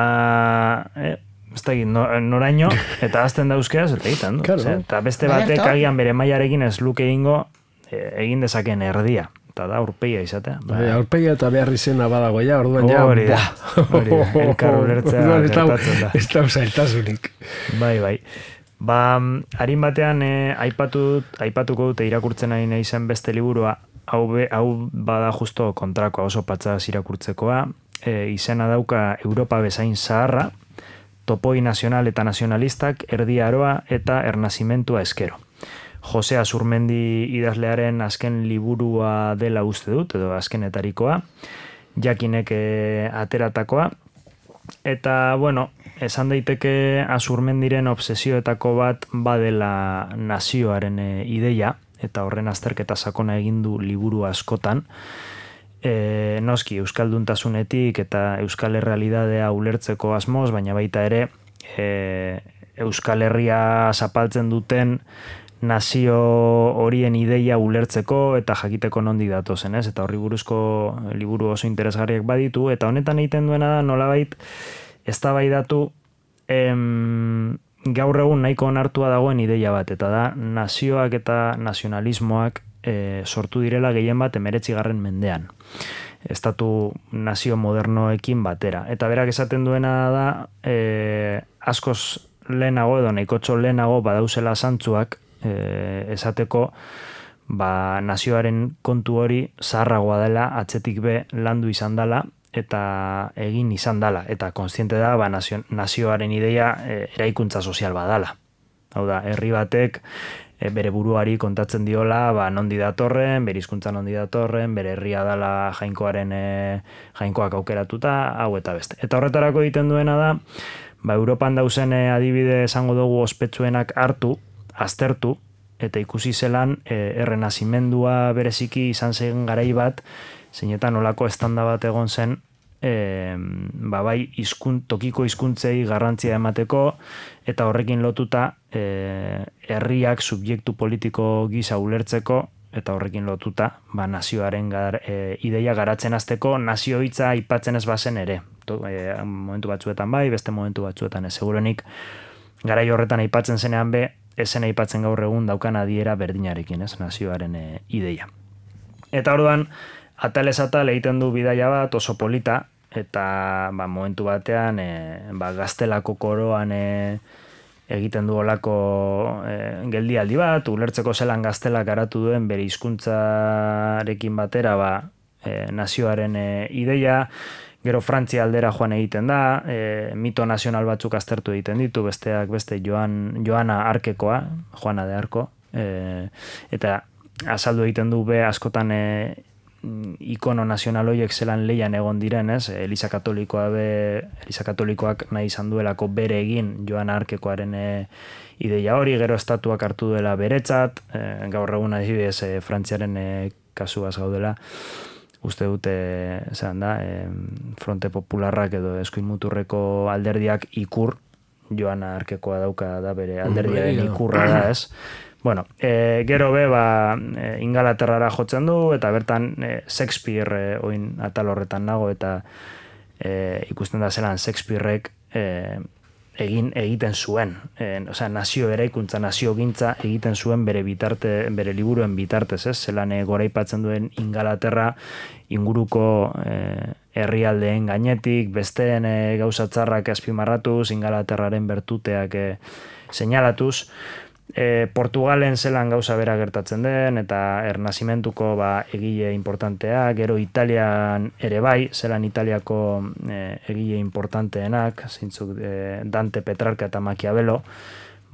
eh, ez da egin, noraino, eta azten da euskeraz, eta egiten, du. Eta beste batek agian bere mailarekin ez luke egingo egin dezaken erdia. Eta da, aurpegia izatea. Aurpegia eta behar izena badagoia, orduan ja... Hori da, hori da, elkar ulertzea gertatzen da. Ez da zailtasunik. Bai, bai. Ba, harin batean, aipatuko dute irakurtzen ari nahi zen beste liburua, hau bada justo kontrakoa oso patzaz irakurtzekoa, E, izena dauka Europa bezain zaharra, topoi nazional eta nazionalistak, erdi aroa eta ernazimentua eskero. Jose Azurmendi idazlearen azken liburua dela uste dut, edo azkenetarikoa, jakinek e, ateratakoa, eta, bueno, esan daiteke Azurmendiren obsesioetako bat badela nazioaren e, ideia, eta horren azterketa sakona egin du liburu askotan, e, noski euskalduntasunetik eta euskal errealidadea ulertzeko asmoz, baina baita ere e, Euskal Herria zapaltzen duten nazio horien ideia ulertzeko eta jakiteko nondi datozen, ez? Eta horri buruzko liburu oso interesgarriak baditu, eta honetan egiten duena da nolabait eztabaidatu em, gaur egun nahiko onartua dagoen ideia bat, eta da nazioak eta nazionalismoak e, sortu direla gehien bat emeretzigarren mendean. Estatu nazio modernoekin batera. Eta berak esaten duena da e, askoz lehenago edo nahikotxo lehenago badauzela zantzuak e, esateko ba, nazioaren kontu hori zaharragoa dela, atzetik be landu izan dela eta egin izan dela. Eta kontziente da ba, nazio, nazioaren ideia e, eraikuntza sozial badala. Hau da, herri batek e, bere buruari kontatzen diola ba, nondi datorren, bere hizkuntza nondi datorren, bere herria dala jainkoaren e, jainkoak aukeratuta, hau eta beste. Eta horretarako egiten duena da, ba, Europan dauzen e, adibide esango dugu ospetsuenak hartu, aztertu, eta ikusi zelan e, errenazimendua bereziki izan zen garai bat, zeinetan olako estanda bat egon zen, e, ba, bai izkun, tokiko hizkuntzei garrantzia emateko, eta horrekin lotuta e, herriak subjektu politiko gisa ulertzeko, eta horrekin lotuta ba, nazioaren gar, e, ideia garatzen hasteko nazio hitza aipatzen ez bazen ere. To, e, momentu batzuetan bai, beste momentu batzuetan ez. Segurenik, garai horretan aipatzen zenean be, esen aipatzen gaur egun daukan adiera berdinarekin, ez, nazioaren e, ideia. Eta orduan, atalez atal egiten du bidaia bat oso polita, eta ba, momentu batean e, ba, gaztelako koroan e, egiten du olako e, geldialdi bat, ulertzeko zelan gaztelak garatu duen bere hizkuntzarekin batera ba, e, nazioaren e, ideia, gero Frantzia aldera joan egiten da, e, mito nazional batzuk aztertu egiten ditu, besteak beste Joan, Joana Arkekoa, Joana de Arko, e, eta azaldu egiten du be askotan e, ikono nazional horiek zelan leian egon diren, ez? Eliza Katolikoa be, Eliza Katolikoak nahi izan duelako bere egin Joana Arkekoaren e, ideia hori, gero estatuak hartu duela beretzat, e, gaur egun adibidez e, Frantziaren e, kasuaz gaudela, uste dute, zelan da, e, Fronte Popularrak edo Eskuin Muturreko alderdiak ikur, Joana Arkekoa dauka da bere alderdiaren ikurra da, ez? Bueno, e, gero be, ba, e, Ingalaterrara jotzen du, eta bertan e, Shakespeare e, oin atal horretan nago, eta e, ikusten da zelan Shakespearek e, egin egiten zuen. E, osea, nazio eraikuntza, nazio gintza egiten zuen bere bitarte, bere liburuen bitartez, ez? Zelan e, goraipatzen duen Ingalaterra inguruko e, herrialdeen gainetik, besteen e, gauza txarrak azpimarratuz, Ingalaterraren bertuteak e, seinalatuz, E, Portugalen zelan gauza bera gertatzen den, eta ernazimentuko ba, egile importantea, gero Italian ere bai, zelan Italiako e, egile importanteenak, zeintzuk e, Dante, Petrarca eta Maquiavelo,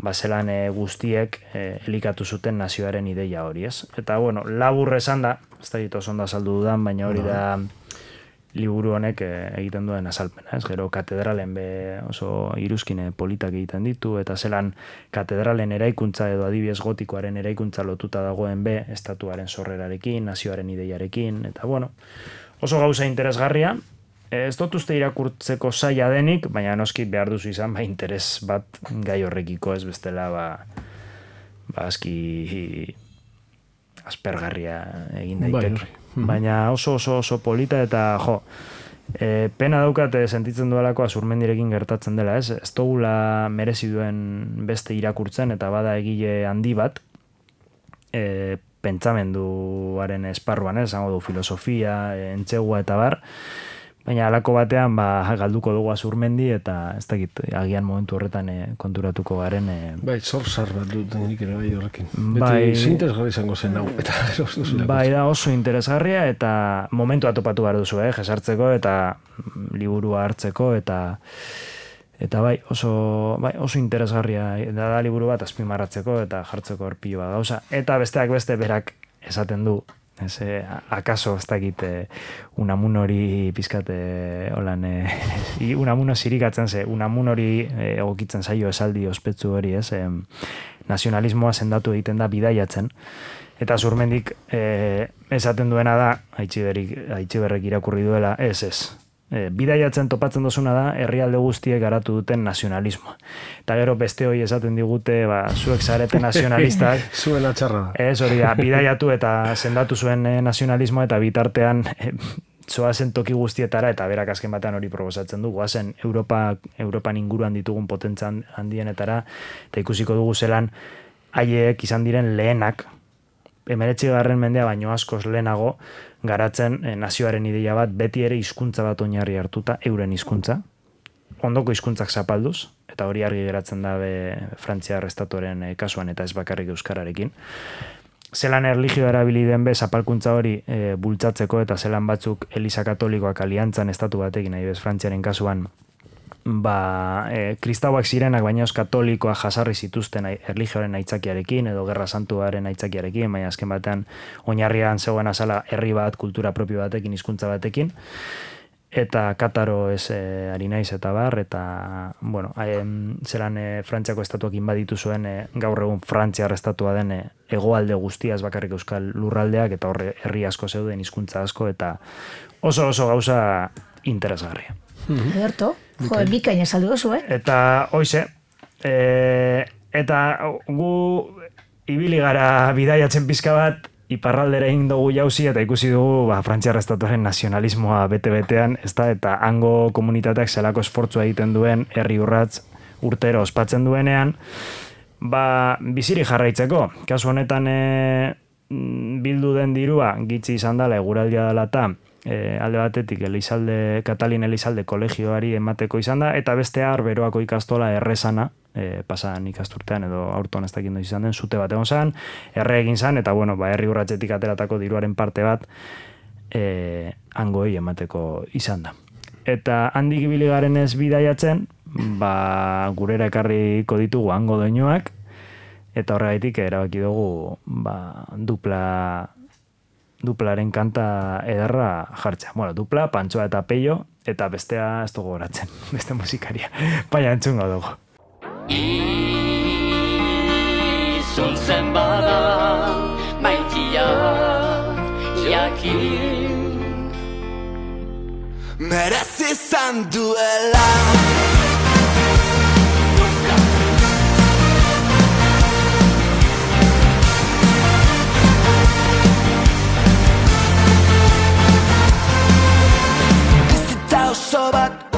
ba, zelan e, guztiek e, elikatu zuten nazioaren ideia hori, ez? Eta, bueno, labur esan da, ez da ditu oso ondo azaldu dudan, baina hori da liburu honek egiten duen azalpena, ez? Gero katedralen be oso iruzkine politak egiten ditu, eta zelan katedralen eraikuntza edo adibidez gotikoaren eraikuntza lotuta dagoen be estatuaren sorrerarekin, nazioaren ideiarekin, eta bueno, oso gauza interesgarria, ez dut uste irakurtzeko zaila denik, baina noski behar duzu izan, ba, interes bat gai horrekiko, ez bestela, ba, ba aski aspergarria egin daiteke. Baina oso oso oso polita eta jo, e, pena daukat sentitzen duelako Azurmendirekin gertatzen dela, ez? Ez dugula merezi duen beste irakurtzen eta bada egile handi bat, e, pentsamenduaren esparruan, ez? Zango du filosofia, entzegua eta bar, baina halako batean ba, galduko dugu Azurmendi eta ez dakit, agian momentu horretan e, konturatuko garen. E... Bai, zorzar bat dut nik ere bai horrekin. Bai, beti interesgarri izango zen hau. Eta, bai, da oso interesgarria eta momentu atopatu behar duzu, eh, jesartzeko eta liburua hartzeko eta eta bai, oso, bai, oso interesgarria da, da liburu bat azpimarratzeko eta jartzeko erpilo bat gauza. Eta besteak beste berak esaten du, ez, eh, akaso ez dakit eh, Unamun hori pizkate holan, eh, Unamuno zirikatzen ze, Unamun hori eh, egokitzen zaio esaldi ospetsu hori, ez, eh, nazionalismoa sendatu egiten da bidaiatzen, Eta Zurmendik e, esaten duena da, Aitziberrek irakurri duela, ez ez. E, bidaiatzen topatzen dozuna da, herrialde guztiek garatu duten nazionalismoa. Eta gero beste hori esaten digute, ba, zuek zarete nazionalistak. Zuen atxarra da. Ez hori da, bidaiatu eta sendatu zuen nazionalismoa eta bitartean e, zoazen toki guztietara eta berak azken batean hori proposatzen du. Goazen Europa, Europan inguruan ditugun potentzan handienetara eta ikusiko dugu zelan haiek izan diren lehenak, hemeretzigarren mendea baino askoz lehenago, garatzen eh, nazioaren ideia bat, beti ere hizkuntza bat oinarri hartuta, euren hizkuntza, ondoko hizkuntzak zapalduz, eta hori argi geratzen da be, Frantziar estatuaren eh, kasuan eta ez bakarrik euskararekin. Zelan erlijioa erabili den be, zapalkuntza hori e, bultzatzeko eta zelan batzuk Eliza Katolikoak aliantzan estatu batekin, nahi bez Frantziaren kasuan, ba, e, kristauak zirenak, baina os katolikoa jasarri zituzten erlijioaren aitzakiarekin edo gerra santuaren aitzakiarekin, baina azken batean oinarrian zegoen azala herri bat, kultura propio batekin, hizkuntza batekin, eta Kataro ez e, ari naiz eta bar, eta, bueno, e, zelan e, Frantziako estatuak inbaditu zuen e, gaur egun Frantziar estatua den e, hegoalde guztia, ez bakarrik euskal lurraldeak, eta horre herri asko zeuden, hizkuntza asko, eta oso oso gauza interesgarria. Ederto, jo, bikaina saldu oso, eh? Eta, hoize, e, eta gu ibili gara bidaiatzen pizka bat, iparraldera egin dugu jauzi, eta ikusi dugu ba, Frantziar estatuaren nazionalismoa bete-betean, ez da, eta hango komunitateak zelako esfortzua egiten duen, herri urratz urtero ospatzen duenean, ba, biziri jarraitzeko. Kasu honetan e, bildu den dirua, gitzi izan dela, eguraldia dela eta, E, alde batetik Elizalde, Katalin Elizalde kolegioari emateko izan da, eta beste arberoako ikastola errezana, e, pasan ikasturtean edo aurton ez dakindu izan den, zute bat egon zan, erre egin zan, eta bueno, ba, herri urratzetik ateratako diruaren parte bat e, hangoi emateko izan da. Eta handik ibili garen ez bidaiatzen, ba, gurera ekarriko ditugu hango doinuak, eta horregaitik erabaki dugu ba, dupla duplaren kanta ederra jartzea. Bueno, dupla, Pantsoa eta Peio, eta bestea ez dugu horatzen, beste musikaria. Baina entzungo dugu. Izun zen bada, maitia, jakin. Merezi izan duela. Oso bat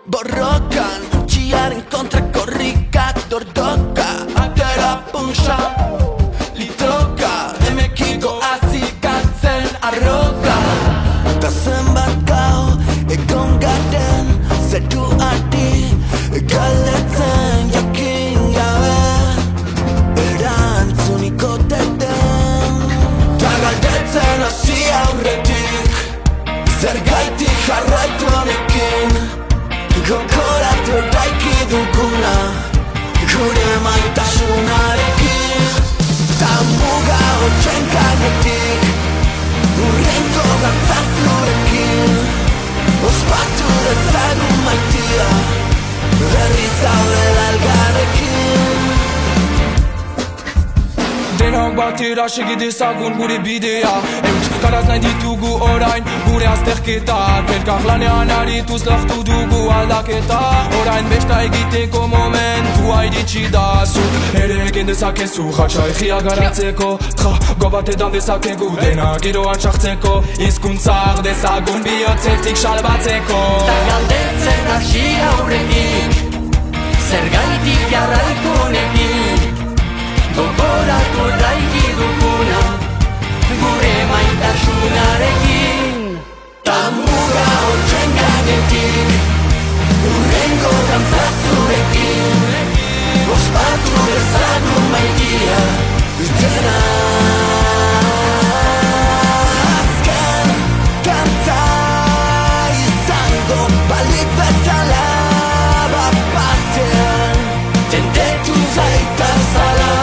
borrokan, txiaren kontra korrika, dordoka, atera punxa, litroka, emekiko azikatzen arroka. Ta zenbat gau, egon garen, zeru ardi, galetzen jakin gabe, erantzuniko deten. Ta galdetzen hasi aurretik, zergaitik jarraitu honekin, gogoratu eraiki duguna, gure maitasunarekin. Ta muga hotxen gainetik, urrengo gantzazurekin, ospatu dezagun maitia, berriz gaudela elgarrekin. Denok batera segidezagun gure bidea, euskaraz nahi ditugu orain gure azterketak. Elkar lanean arituz lortu dugu aldaketa, orain besta egiteko momentua iritsi da. Zuk ere egin dezakezu jatsa egia garatzeko, trago bat edan dezakegu dena giroan sartzeko, hizkuntzak dezagun bihotzetik salbatzeko. Ta galdetzen hasi aurretik, zergaitik jarraitu honekin, gogoratu eraiki duguna, gure maitasunarekin. Ta muga hotxen gainetik, urrengo gantzazurekin, ospatu dezagun maitia, dena. Azken kanta izango balik bezala, bat-batean tendetu zaitazala.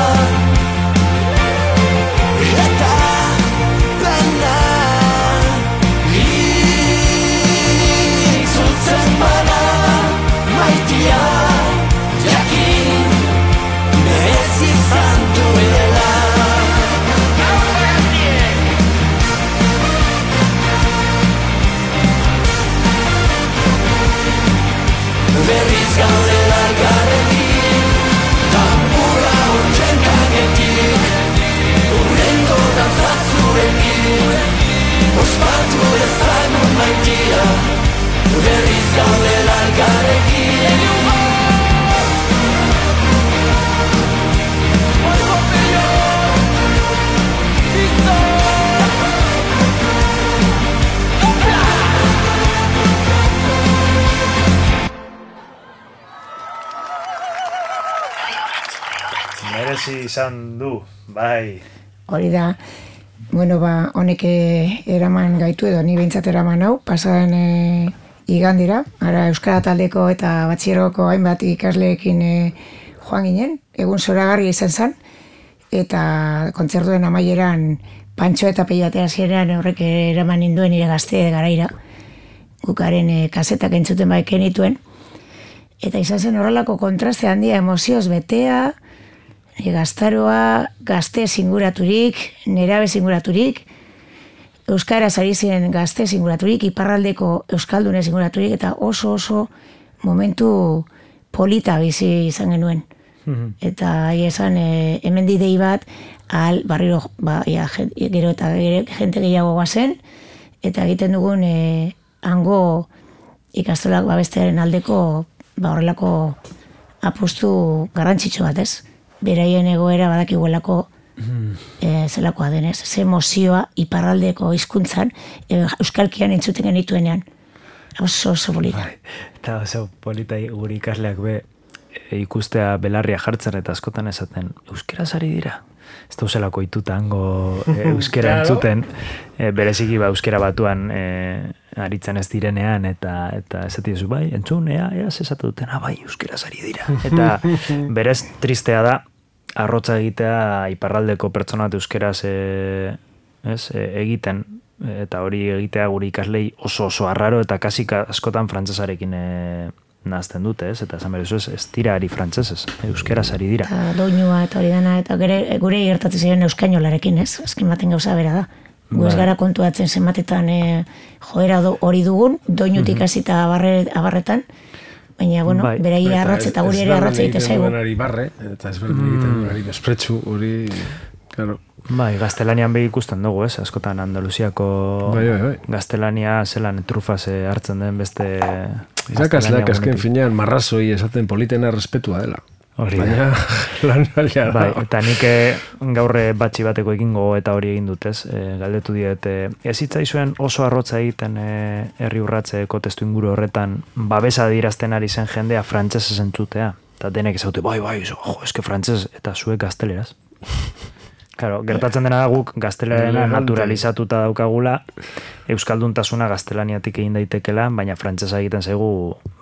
hasi izan du, bai. Hori da, bueno, ba, honek eraman gaitu edo, ni behintzat eraman hau, pasaden e, igandira, ara Euskara taldeko eta batxieroko hainbat ikasleekin e, joan ginen, egun zoragarria izan zen, eta kontzertuen amaieran Pantxo eta Peiatea zirean horrek eraman ninduen nire gazte garaira, gukaren e, kasetak entzuten baiken ituen, eta izan zen horrelako kontraste handia, emozioz betea, gaztaroa, gazte zinguraturik, nerabe zinguraturik, Euskaraz ari ziren gazte zinguraturik, iparraldeko Euskaldune zinguraturik, eta oso oso momentu polita bizi izan genuen. Mm-hmm. Eta ahi esan, e, hemen didei bat, ahal, barriro, ba, ja, gero eta jente gehiago guazen, eta egiten dugun e, hango ikastolak babestearen aldeko, ba, horrelako apustu garrantzitsu bat, ez? Beraien egoera badakiguelako mm. e, zelakoa denez. Ze emozioa iparraldeko hizkuntzan e, euskalkian entzuten genituenean. Oso oso polita. Bai, eta oso polita guri ikasleak be e, ikustea belarria jartzen eta askotan esaten euskeraz ari dira. Ez da uselako ituta hango e, euskera claro. Entzuten, e, bereziki ba euskera batuan e, aritzen ez direnean, eta eta esati duzu, bai, entzun, ea, ea, zesatu duten, ah, bai, euskeraz ari dira. Eta berez tristea da, arrotza egitea iparraldeko pertsonat euskeraz e, ez, e, egiten, eta hori egitea guri ikaslei oso oso arraro, eta kasik askotan frantzesarekin e, nahazten dute, ez? Eta esan berezu ez, ez dira ari frantzesez, euskeraz ari dira. Eta doinua eta hori dana, eta gure, gure gertatzen ziren euskainolarekin, ez? Azken baten gauza bera da. Gu ez gara kontuatzen zenbatetan e, joera do, hori dugun, doinutik hasita abarre, abarretan, baina, bueno, bai. Berai arratz eta guri ere arratz egite zaigu. Barre, eta ez berdin egiten duenari bespretsu, hori, claro. Bai, gaztelanian behi ikusten dugu, ez? Askotan Andaluziako bai, bai, bai. gaztelania zelan trufaz hartzen den beste... Irakasleak azken finean marrazoi esaten politena respetua dela. Hori baina lan alia da. Bai, eta nik gaurre batxi bateko egingo eta hori egin dutez. E, galdetu diet, e, ez hitzaizuen oso arrotza egiten e, herri urratzeko testu inguru horretan babesa dirazten ari zen jendea frantsesez entzutea. Eta denek ezaute, bai, bai, jo, eske frantsesez eta zuek gazteleraz. Claro, gertatzen dena da guk gaztelera naturalizatuta daukagula, euskalduntasuna gaztelaniatik egin daitekela, baina frantsesa egiten zaigu,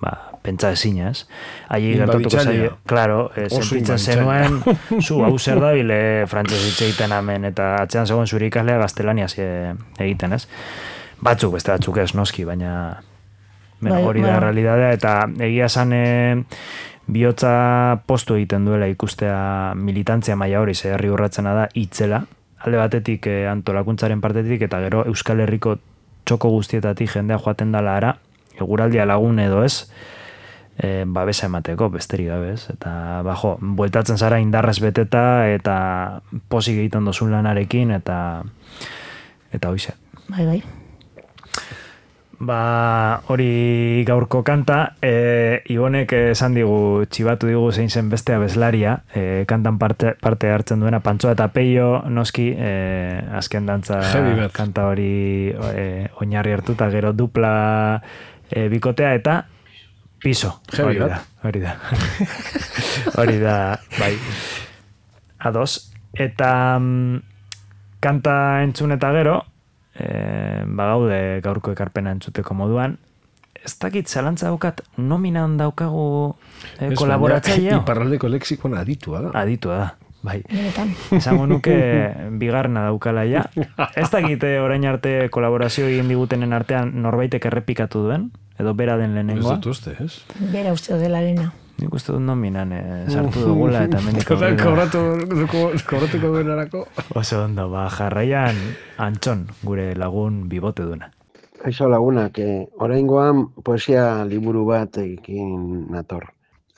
ba, pentsa ezina, ez? Ahi gertatuko zaio, claro, e, sentitzen zenuen, zu, hau zer da bile frantses hitz egiten hemen, eta atzean zegoen zure ikaslea gaztelaniaz egiten, ez? Batzuk, beste batzuk ez, noski, baina bueno, hori da realidadea, eta egia esan... E, bihotza postu egiten duela ikustea militantzia maila hori ze herri urratzena da itzela, alde batetik e, antolakuntzaren partetik eta gero Euskal Herriko txoko guztietatik jendea joaten dala ara, eguraldia lagun edo ez, e, babesa emateko besterik gabe ez, eta bajo, bueltatzen zara indarrez beteta eta posik egiten dozun lanarekin eta eta hoize. Bai, bai. Ba, hori gaurko kanta, e, Ibonek esan digu, txibatu digu zein zen beste abeslaria, e, kantan parte, parte hartzen duena, Pantxo eta Peio, noski, e, azken dantza kanta hori e, oinarri hartuta, gero dupla e, bikotea eta piso. Hori da, hori da. Hori da, bai. Ados. Eta mm, kanta entzun eta gero, E, bagaude gaurko ekarpena entzuteko moduan, ez dakit zalantza daukat nominan daukagu e, kolaboratzailea. Iparraldeko lexikoan aditua da. Aditua da, bai. Esango nuke bigarna daukala ja. Ez dakit orain arte kolaborazio egin digutenen artean norbaitek errepikatu duen, edo bera den lehenengoa. Ez dut uste, ez? Bera uste dela lehena. Nik uste dut nominan e, sartu dugula eta mendik aurrera. Kobratuko duenarako. Oso ondo, ba, jarraian Antxon, gure lagun bibote duna. Kaixo lagunak, eh, oraingoan poesia liburu bat egin nator.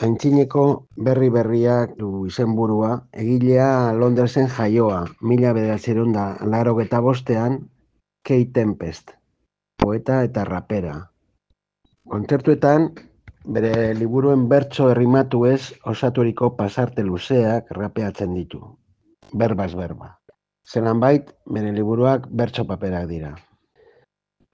Aintzineko berri berriak du izenburua, egilea Londresen jaioa, mila bederatziehun eta laurogeita bostean, Kate Tempest, poeta eta rapera. Kontzertuetan, bere liburuen bertso errimatu ez osaturiko pasarte luzeak rapeatzen ditu. Berbaz berba. Zelan bait, bere liburuak bertso paperak dira.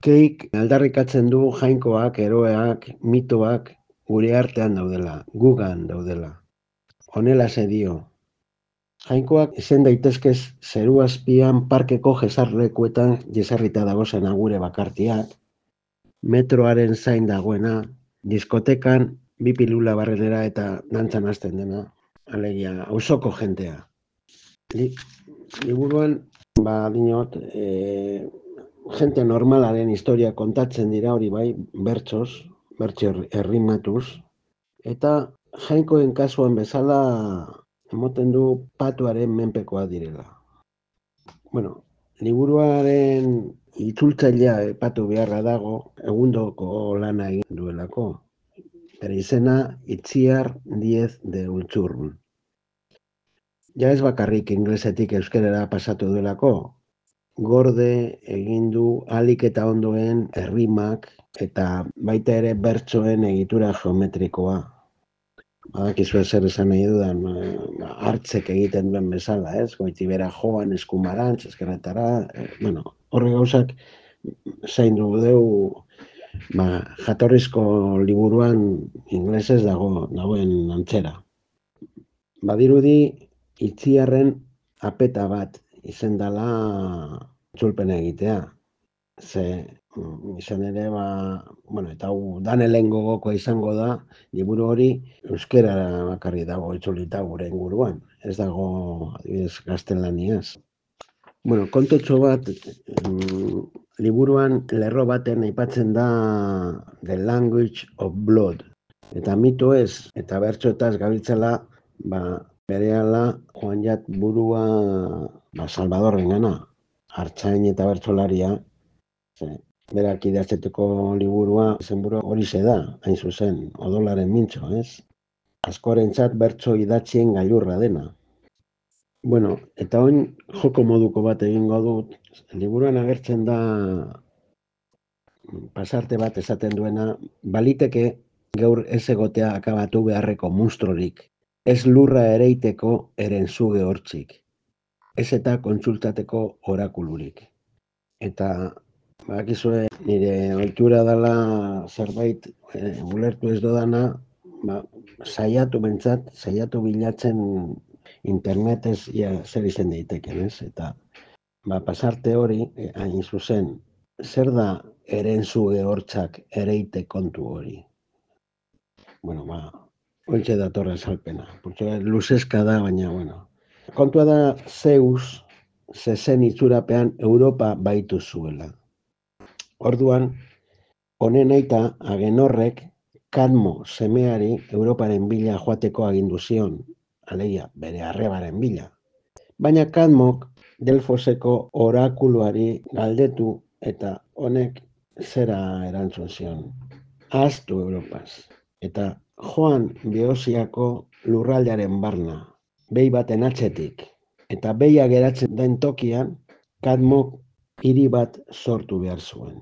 Keik aldarrikatzen du jainkoak, eroeak, mitoak gure artean daudela, gugan daudela. Honela se dio. Jainkoak izan daitezkez zeru azpian parkeko jesarlekuetan jesarrita dagozen agure bakartiak, metroaren zain dagoena, diskotekan bi pilula barrenera eta dantzan hasten dena, alegia, auzoko jentea. Li, liburuan, ba, dinot, e, jente normalaren historia kontatzen dira hori bai, bertsoz, bertso errimatuz, eta jainkoen kasuan bezala emoten du patuaren menpekoa direla. Bueno, liburuaren itzultzailea epatu beharra dago, egundoko lana egin duelako. Bere izena Itziar Diez de Ultzurrun. Ja ez bakarrik inglesetik euskerara pasatu duelako, gorde egin du ahalik eta ondoen errimak eta baita ere bertsoen egitura geometrikoa. Badakizu zer esan nahi dudan, hartzek egiten duen bezala, ez? Goitibera joan, eskumarantz, eskerretara, eh, bueno, horre gauzak zaindu deu, ba, jatorrizko liburuan inglesez dago, dagoen antzera. Badirudi Itziarren apeta bat izen dela itzulpena egitea. Ze izan ere, ba, bueno, eta hau danelen gogokoa izango da, liburu hori euskerara bakarri dago itzulita gure inguruan. Ez dago, adibidez, gaztelaniaz. Bueno, kontotxo bat, mm, liburuan lerro baten aipatzen da The Language of Blood. Eta mito ez, eta bertsoetaz gabiltzela, ba, berehala joan jat burua ba, Salvadorren gana, artzain eta bertsolaria, ze, berak idatzeteko liburua izenburua hori da, hain zuzen, odolaren mintzo, ez? Askorentzat bertso idatzien gailurra dena. Bueno, eta oin joko moduko bat egingo dut, liburuan agertzen da pasarte bat esaten duena, baliteke gaur ez egotea akabatu beharreko munstrorik, ez lurra ereiteko erenzuge hortzik, ez eta kontsultateko orakulurik. Eta bakizue nire ohitura dela zerbait e, ulertu ez dodana, ba, saiatu bentsat, saiatu bilatzen internetez ja, zer izen daiteken, ez? Eta ba, pasarte hori, e, hain zuzen, zer da erenzuge hortzak ereite kontu hori? Bueno, ba, hontxe datorra esalpena. Portxo, luzeska da, baina, bueno. Kontua da Zeus, zezen itzurapean Europa baitu zuela. Orduan, honen aita Agenorrek Kadmo semeari Europaren bila joateko agindu zion, alegia bere arrebaren bila. Baina Kadmok Delfoseko orakuluari galdetu eta honek zera erantzun zion. Ahaztu Europaz. Eta joan Beosiako lurraldearen barna, behi baten atzetik, eta behia geratzen den tokian, Kadmok hiri bat sortu behar zuen.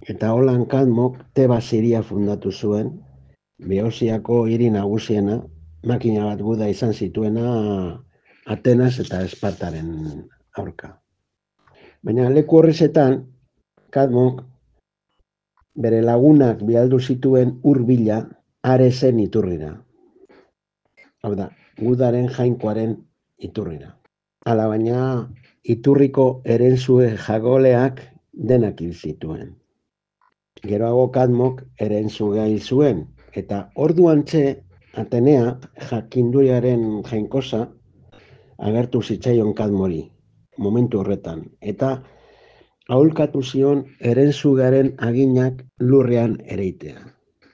Eta holan Kadmok Tebas hiria fundatu zuen, Beosiako hiri nagusiena, makina bat guda izan zituena Atenas eta Espartaren aurka. Baina leku horrezetan, Kadmok bere lagunak bialdu zituen hurbila Aresen iturrira. Hau da, gudaren jainkoaren iturrira. Hala baina iturriko erentzue jagoleak denak hil zituen. Geroago Kadmok erentzugea hil zuen, eta orduantxe Atenea jakinduriaren jainkosa agertu zitzaion Kadmori, momentu horretan, eta aholkatu zion erentzugaren aginak lurrean ereitea.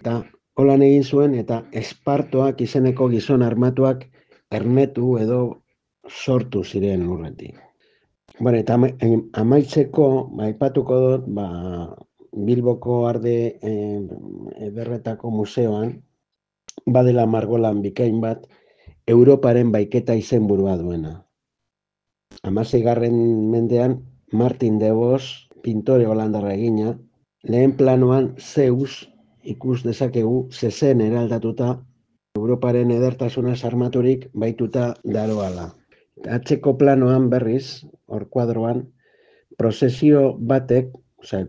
Eta holan egin zuen eta Espartoak izeneko gizon armatuak ernetu edo sortu ziren lurretik. Bueno, eta amaitzeko, aipatuko dut, ba, Bilboko Arde Ederretako museoan, badela margolan bikain bat, Europaren baiketa izenburua duena. Hamaseigarren mendean, Martin de Vos, pintore holandarra egina, lehen planoan Zeus ikus dezakegu zezen eraldatuta Europaren edertasunaz armaturik baituta daroala. Atzeko planoan berriz, hor kuadroan, prozesio batek, oza,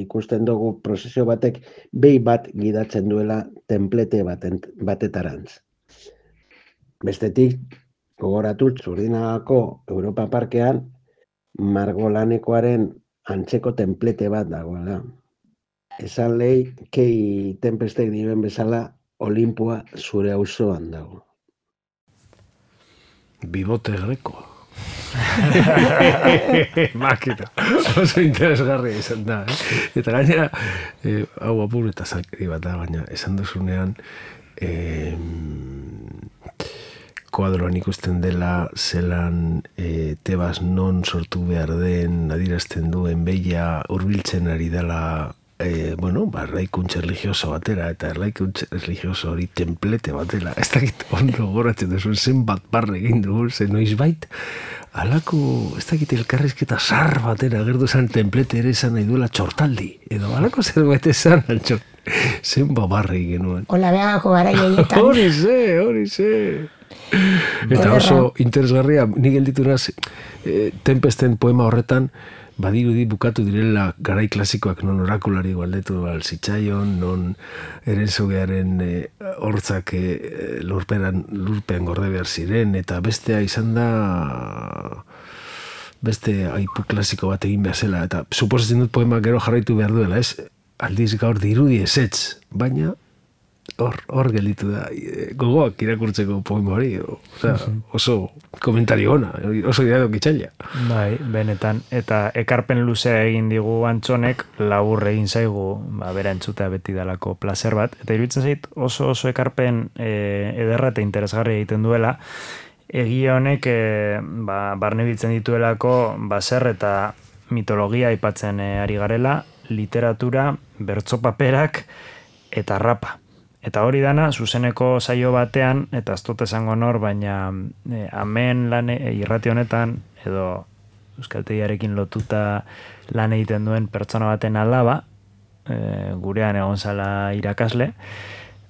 ikusten dugu prozesio batek behi bat gidatzen duela templete baten, batetarantz. Bestetik, Gogoratu Txurdinagako Europa Parkean margolanekoaren antzeko templete bat dagoela. Esan lehi, kei Tempestek dioen bezala, Olimpoa zure auzoan dago. Bibote grekoa. Makina. Oso interesgarria izan da, eh? Eta gainera, eh, hau apur eta zalkeri bat da, baina esan duzunean, eh, kuadroan ikusten dela zelan eh, Tebas non sortu behar den adierazten duen beia hurbiltzen ari dela eh, bueno, ba, erraikuntz religioso batera eta erraikuntz religioso hori templete batera. Ez dakit ondo goratzen duzun zenbat barre egin dugu, zen noizbait alako, ez dakit elkarrizketa zar batera gertu zen templete ere esan nahi duela txortaldi, edo alako zerbait esan altxor. Zenbat barre egin genuen. Ola behagako gara jaietan. Hori ze, hori ze. Eta oso interesgarria, nik gelditu naz, eh, Tempesten poema horretan, badirudi bukatu direla garai klasikoak non orakulari galdetu alzitzaion, non Erenzogearen eh, hortzak eh, lurpean, lurpean gorde behar ziren, eta bestea izan da beste aipu klasiko bat egin behar zela, eta suposatzen dut poema gero jarraitu behar duela, ez? Aldiz gaur dirudi ezetz, baina hor, hor gelditu da, gogoak irakurtzeko poema hori, osea, oso komentario ona, oso idadok itxaila. Bai, benetan, eta ekarpen luzea egin digu Antxonek, labur egin zaigu, ba, bera entzutea beti dalako placer bat, eta iruditzen zait oso oso ekarpen e, ederra eta interesgarri egiten duela, egia honek e, ba, barne biltzen dituelako baser eta mitologia aipatzen e, ari garela, literatura, bertso paperak eta rapa. Eta hori dana, zuzeneko saio batean, eta ez dut esango nor, baina e, amen lan e, irrati honetan, edo euskaltegiarekin lotuta lan egiten duen pertsona baten alaba, e, gurean egon zala irakasle,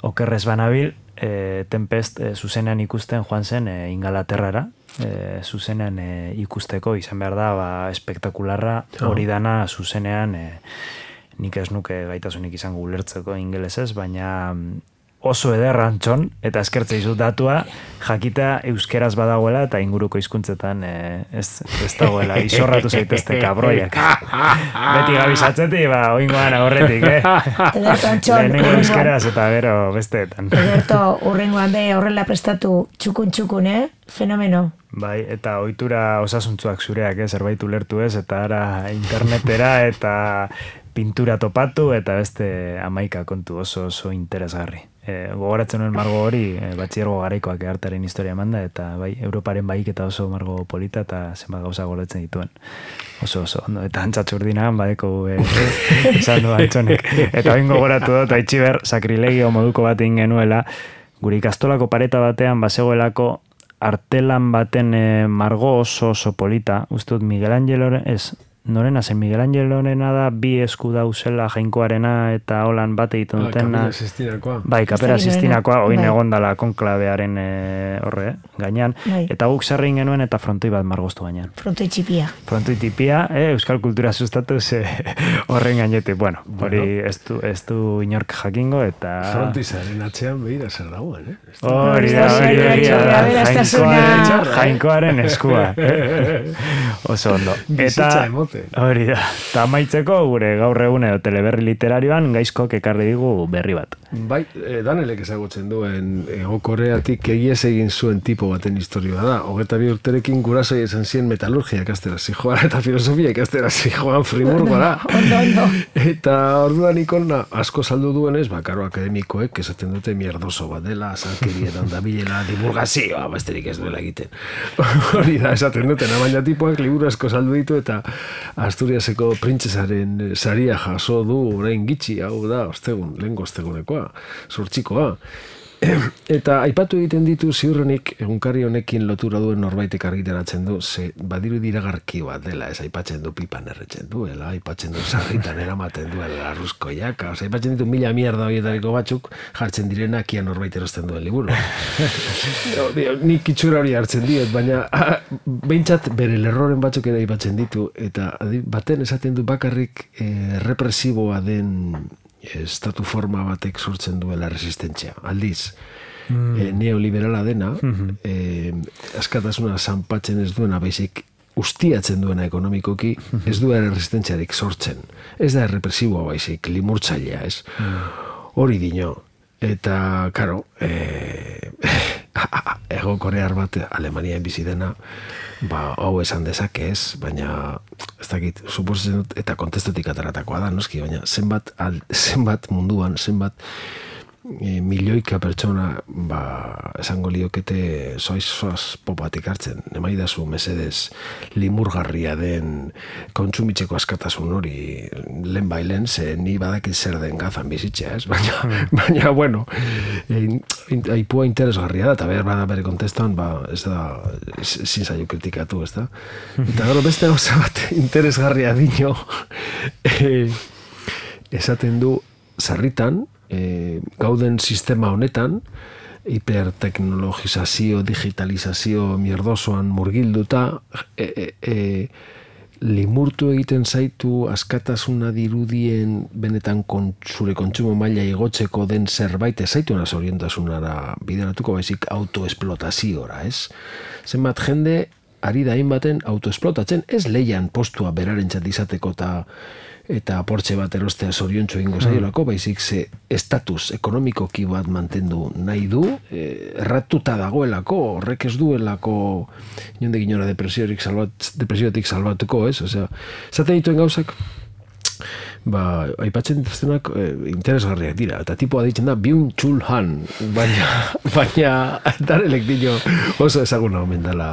okerrez banabil, e, Tempest e, zuzenean ikusten joan zen e, Ingalaterrara, e, zuzenean e, ikusteko, izan behar da, ba, espektakularra, hori dana zuzenean, e, nik ez nuke gaitasunik izango ulertzeko ingelesez, baina oso ederra Antxon, eta eskertze izut datua, jakita euskeraz badagoela eta inguruko hizkuntzetan eh, ez, ez dagoela, izorratu zaitezte kabroiak. Beti gabizatzeti, ba, oingoan agorretik, eh? Ederto Antxon, lehenengo euskeraz eta gero besteetan. Ederto, urrengoan be horrela prestatu txukun-txukun, eh? Fenomeno. Bai, eta ohitura osasuntzuak zureak, eh? Zerbait ulertu ez, eta ara internetera eta pintura topatu eta beste hamaika kontu oso oso interesgarri. E, gogoratzen nuen margo hori, e, batxiergo garaikoak ehartaren historia emanda, eta bai, Europaren baik eta oso margo polita eta zenbat gauza goratzen dituen. Oso oso, ondo, eta Antxatxurdinagan badeko e, esan du Antxonek. Eta bain gogoratu dut, aitxiber, sakrilegio moduko bat egin genuela, gure ikastolako pareta batean bazegoelako artelan baten e, margo oso oso polita, uste dut Miguel Angeloren, ez, norena zen Miguel Angelorena da bi esku dauzela Jainkoarena eta holan bat egiten dutena. Kapera Sistinakoa. Bai, Kapera Sistinakoa, oin bai. egondala konklabearen e, horre, gainean. Bai. Eta guk zerrein genuen eta frontoi bat margoztu gainean. Frontoi txipia. Frontoi tipia, eh, euskal kultura sustatu ze horren gainetik. Bueno, hori Bueno. ez du, ez du inork jakingo eta... Frontizaren atzean behira zer dagoen, eh? Hori da, hori da, hori da, Jainkoaren, Jainkoaren eskua. Oso ondo. Bizitza Eta emote. hori da. Eta amaitzeko gure gaur egun edo teleberri literarioan gaizkok ekarri digu berri bat. Bai, eh, Danelek ezagutzen duen Hego Koreatik egiez egin zuen tipo baten historioa da. Hogeta bi urterekin gurasoi esan zien metalurgia ikastera zijoan eta filosofia ikastera zijoan Friburgora. Ondo, ondo. Eta orduan ikona asko saldu duenez, bakaro akademikoek esaten dute mierdoso bat dela, azalkerietan dabilela divulgazioa, besterik ez duela egiten. Hori da, esaten duten, baina tipoak liburu asko saldu ditu eta Asturiaseko printzesaren saria jaso du orain gitxi, hau da, ostegun, lehengo ostegunekoa, zortzikoa. Eta aipatu egiten ditu ziurrenik egunkari honekin lotura duen norbaitek argitaratzen du, ze badiru diragarki bat dela, ez aipatzen du pipan erretzen duela, aipatzen du sarritan eramaten duela arruzkoiak, oza, aipatzen ditu mila mierda horietariko batzuk jartzen direnak ia norbait erosten duen liburu. Nik itxura hori hartzen diet, baina ah, behintzat bere lerroren batzuk ere aipatzen ditu, eta baten esaten du bakarrik eh, represiboa den estatu forma batek sortzen duela resistentzia. Aldiz, mm. e, neoliberala dena, mm-hmm. e, askatasuna zanpatzen ez duena, baizik ustiatzen duena ekonomikoki, mm-hmm. ez duela resistentziarik sortzen. Ez da errepresiboa baizik, limurtzailea, ez? Mm. Hori dino. Eta, karo, e, ego korear bat Alemanian bizi dena, ba, hau esan dezake ez, baina, ez dakit, suposatzen dut, eta kontestetik ataratakoa da, noski, baina zenbat, al, zenbat munduan, zenbat e, milioika pertsona, ba, esango liokete soiz soaz popatik hartzen, emaidazu mesedez limurgarria den kontsumitzeko askatasun hori lehen bailen, ze ni badakit zer den gazan bizitzea, ez? Baina, mm. baina bueno, e, aipua interesgarria da, eta behar bada bere kontestan, ba, ez da, ezin zaio kritikatu, ez da? Eta gero beste gauza bat interesgarria dino, e, esaten du, sarritan, e, gauden sistema honetan, hiperteknologizazio, digitalizazio mierdosoan murgilduta, e, e, e, limurtu egiten zaitu askatasuna dirudien benetan kon, zure kontsumo maila igotzeko den zerbait ez zaitu naz orientasunara bideratuko baizik autoesplotaziora, ez? Zenbat jende ari da hainbaten autoesplotatzen, ez leian postua berarentzat izateko eta eta portxe bat erostea zoriontsu egingo zaiolako, baizik ze estatus ekonomikoki bat mantendu nahi du, e, erratuta dagoelako, horrek ez duelako inonde ginora depresiotik salbat, depresiotik salbatuko, ez? Osea, zaten dituen gauzak, ba, aipatzen dituztenak e, interesgarriak dira, eta tipoa ditzen da Byung Chul Han, baina, baina darelek dino oso ezaguna omen dela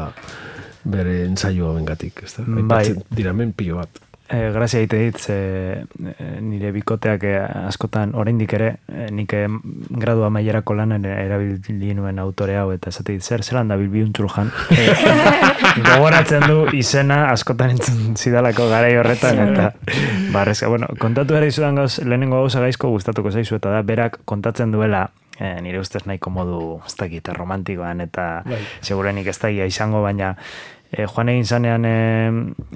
bere ensaioa bengatik, ez da? Aipatzen dira men pilo bat. E, grazia egite dit, ze, e, nire bikoteak e, askotan oraindik ere, e, nik e, gradu amaierako lanen erabili nuen autore hau, eta esate dit, zer, zelan da Byung Chul Han? E, gogoratzen du izena askotan entzun zidalako garai horretan, eta barrezka, bueno, kontatu ere izudan gauz, lehenengo gauza gaizko gustatuko zaizu, eta da, berak kontatzen duela, e, nire ustez nahiko modu, ez dakit, romantikoan, eta bai. Segurenik ez daia izango, baina E, joan egin zanean e,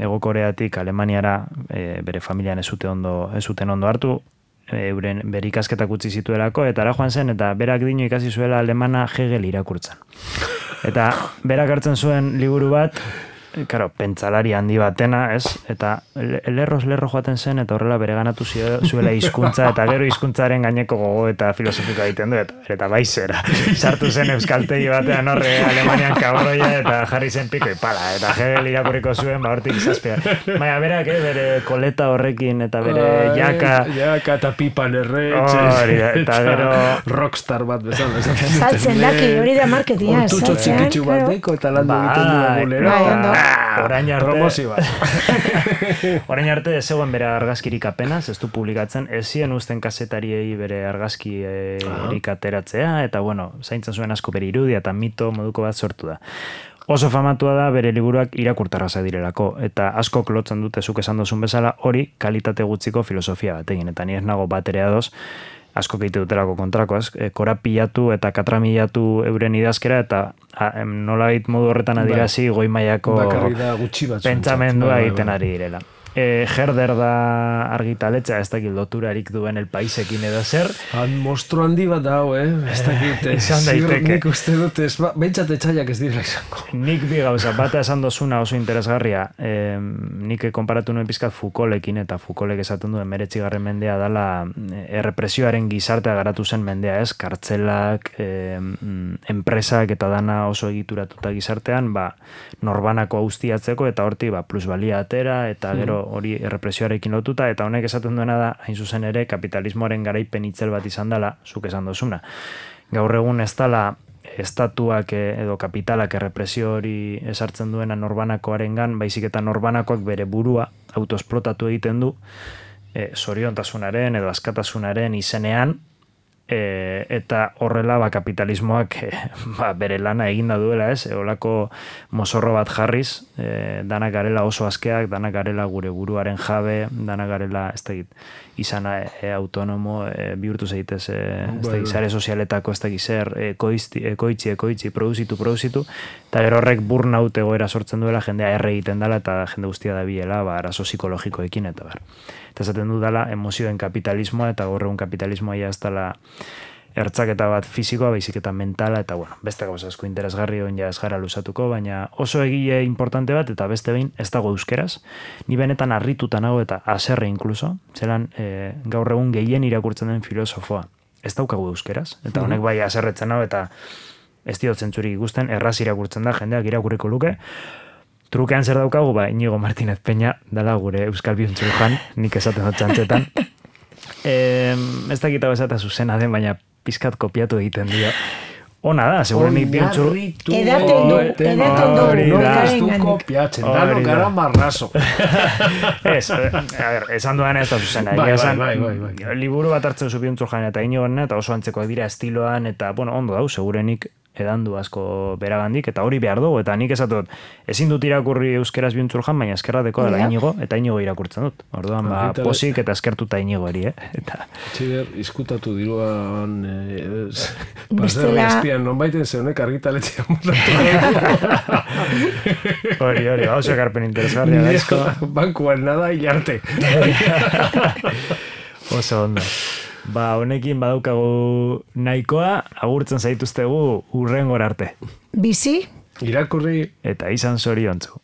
Ego Koreatik Alemaniara e, bere familian ez zuten ondo, ez zuten ondo hartu, e, euren bere ikasketak utzi zituelako, eta ara joan zen, eta berak dino ikasi zuela alemana Hegel irakurtzen. Eta berak hartzen zuen liburu bat, karo, pentsalari handi batena, ez? Eta lerroz lerro joaten zen, eta horrela bere ganatu zuela hizkuntza, eta gero hizkuntzaren gaineko gogo eta filosofikoa egiten du, eta, eta baizera. Sartu zen euskaltegi batean horre Alemanian kabroia, eta jarri zen piko ipala, eta Hegel irakurriko zuen, ba hortik izazpia. Baina berak, eh, bere koleta horrekin, eta bere jaka... Jaka eta pipan erretxe, oh, eta gero... rockstar bat bezala. Saltzen daki, hori da marketinga. Hortutxo txikitsu bat deko, eta landu egiten du egulera. Orain arte, orain arte zegoen bere argazkirik apenas, ez du publikatzen, ez zien uzten kazetariei bere argazkirik ateratzea, eta bueno, zaintzen zuen asko bere irudia eta mito moduko bat sortu da. Oso famatua da bere liburuak irakurtarraza direlako, eta askok lotzen dute zuk esan dozun bezala, hori kalitate gutziko filosofia batekin, eta ni ez nago bat ere ados, asko keite dutelako kontrako, ez? Korapilatu eta katramilatu euren idazkera, eta nolabait modu horretan adirazi goi mailako pentsamendua egiten ari direla. E, Herder da argitaletxa, ez dakit loturarik duen El Paisekin edo zer. Han mostro handi bat dau, eh? Ez dakit, ziur nik uste dut, ez, bentsat etxaiak ez direla izango. Nik bi gauza, bata esan dozuna oso interesgarria, e, nik konparatu nuen pizkat Foucaultekin, eta Foucaultek esaten duen meretzigarren mendea dala errepresioaren gizartea garatu zen mendea, ez? Kartzelak, e, enpresak eta dana oso egituratuta gizartean, ba, norbanako austiatzeko, eta horti, ba, plusbalia atera, eta gero hori errepresioarekin lotuta, eta honek esaten duena da, hain zuzen ere, kapitalismoaren garaipen itzel bat izan dela, zuk esan dozuna. Gaur egun ez dela estatuak edo kapitalak errepresio hori esartzen duena norbanakoarengan, baizik eta norbanakoak bere burua autoesplotatu egiten du, e, zoriontasunaren edo askatasunaren izenean, E, eta horrela ba, kapitalismoak e, ba, bere lana eginda duela, ez? E, olako mozorro bat jarriz, e, danak garela oso askeak, danak garela gure buruaren jabe, danak garela, ez da izana e, autonomo, e, bihurtu zeitez, e, ez da izare sozialetako, ez da zer, ekoitzi, ekoitzi, ekoitzi, produzitu, produzitu, eta gero horrek burnout egoera sortzen duela, jendea erre egiten dela, eta jende guztia da biela, ba, arazo psikologikoekin, eta bar. Eta esaten du dela emozioen kapitalismoa, eta gaur egun kapitalismoa ja ez dela ertzaketa bat fizikoa, baizik eta mentala, eta bueno, beste gauza asko interesgarri on ja ez gara luzatuko, baina oso egile importante bat, eta beste behin ez dago euskeraz. Ni benetan harrituta nago eta haserre inkluso, zelan e, gaur egun gehien irakurtzen den filosofoa. Ez daukagu euskeraz, eta honek bai haserretzen nago, eta ez diot zentzurik ikusten, erraz irakurtzen da, jendeak irakurriko luke. Trukean zer daukagu, ba, Inigo Martínez Peña, dala gure Euskal Bihuntzulujan, nik esaten dut txantxetan. E, ez dakitago esata zuzena den, baina pizkat kopiatu egiten dio. Ona da, segurenik bihuntzulu... Edaten du, edaten du. Nola ez du kopiatzen, dano gara marrazo. Ez, a ver, esan duan ez da zuzena. Bai, bai, bai, bai. Liburu bat hartzen zu bihuntzulujan eta Inigoen, eta oso antzekoak dira estiloan, eta, bueno, ondo dau, segurenik edandu asko beragandik, eta hori behar dugu, eta nik esatut, ezin dut irakurri euskeraz bihuntzulujan, baina eskerrateko dela Inigo, eta Inigo irakurtzen dut. Orduan, ba, posik eta eskertuta Inigo eri, eh? Eta... Txider, izkutatu diruan, pasderri espian, non baiten zeunek argitaletzea mutatu. Hori, hori, oso ekarpen interesgarria da izko. Bankuan nada hilarte. Oso ondo. Ba, honekin badaukagu nahikoa, agurtzen zaituztegu urrengor arte. Bizi? Irakurri. Eta izan zoriontzu.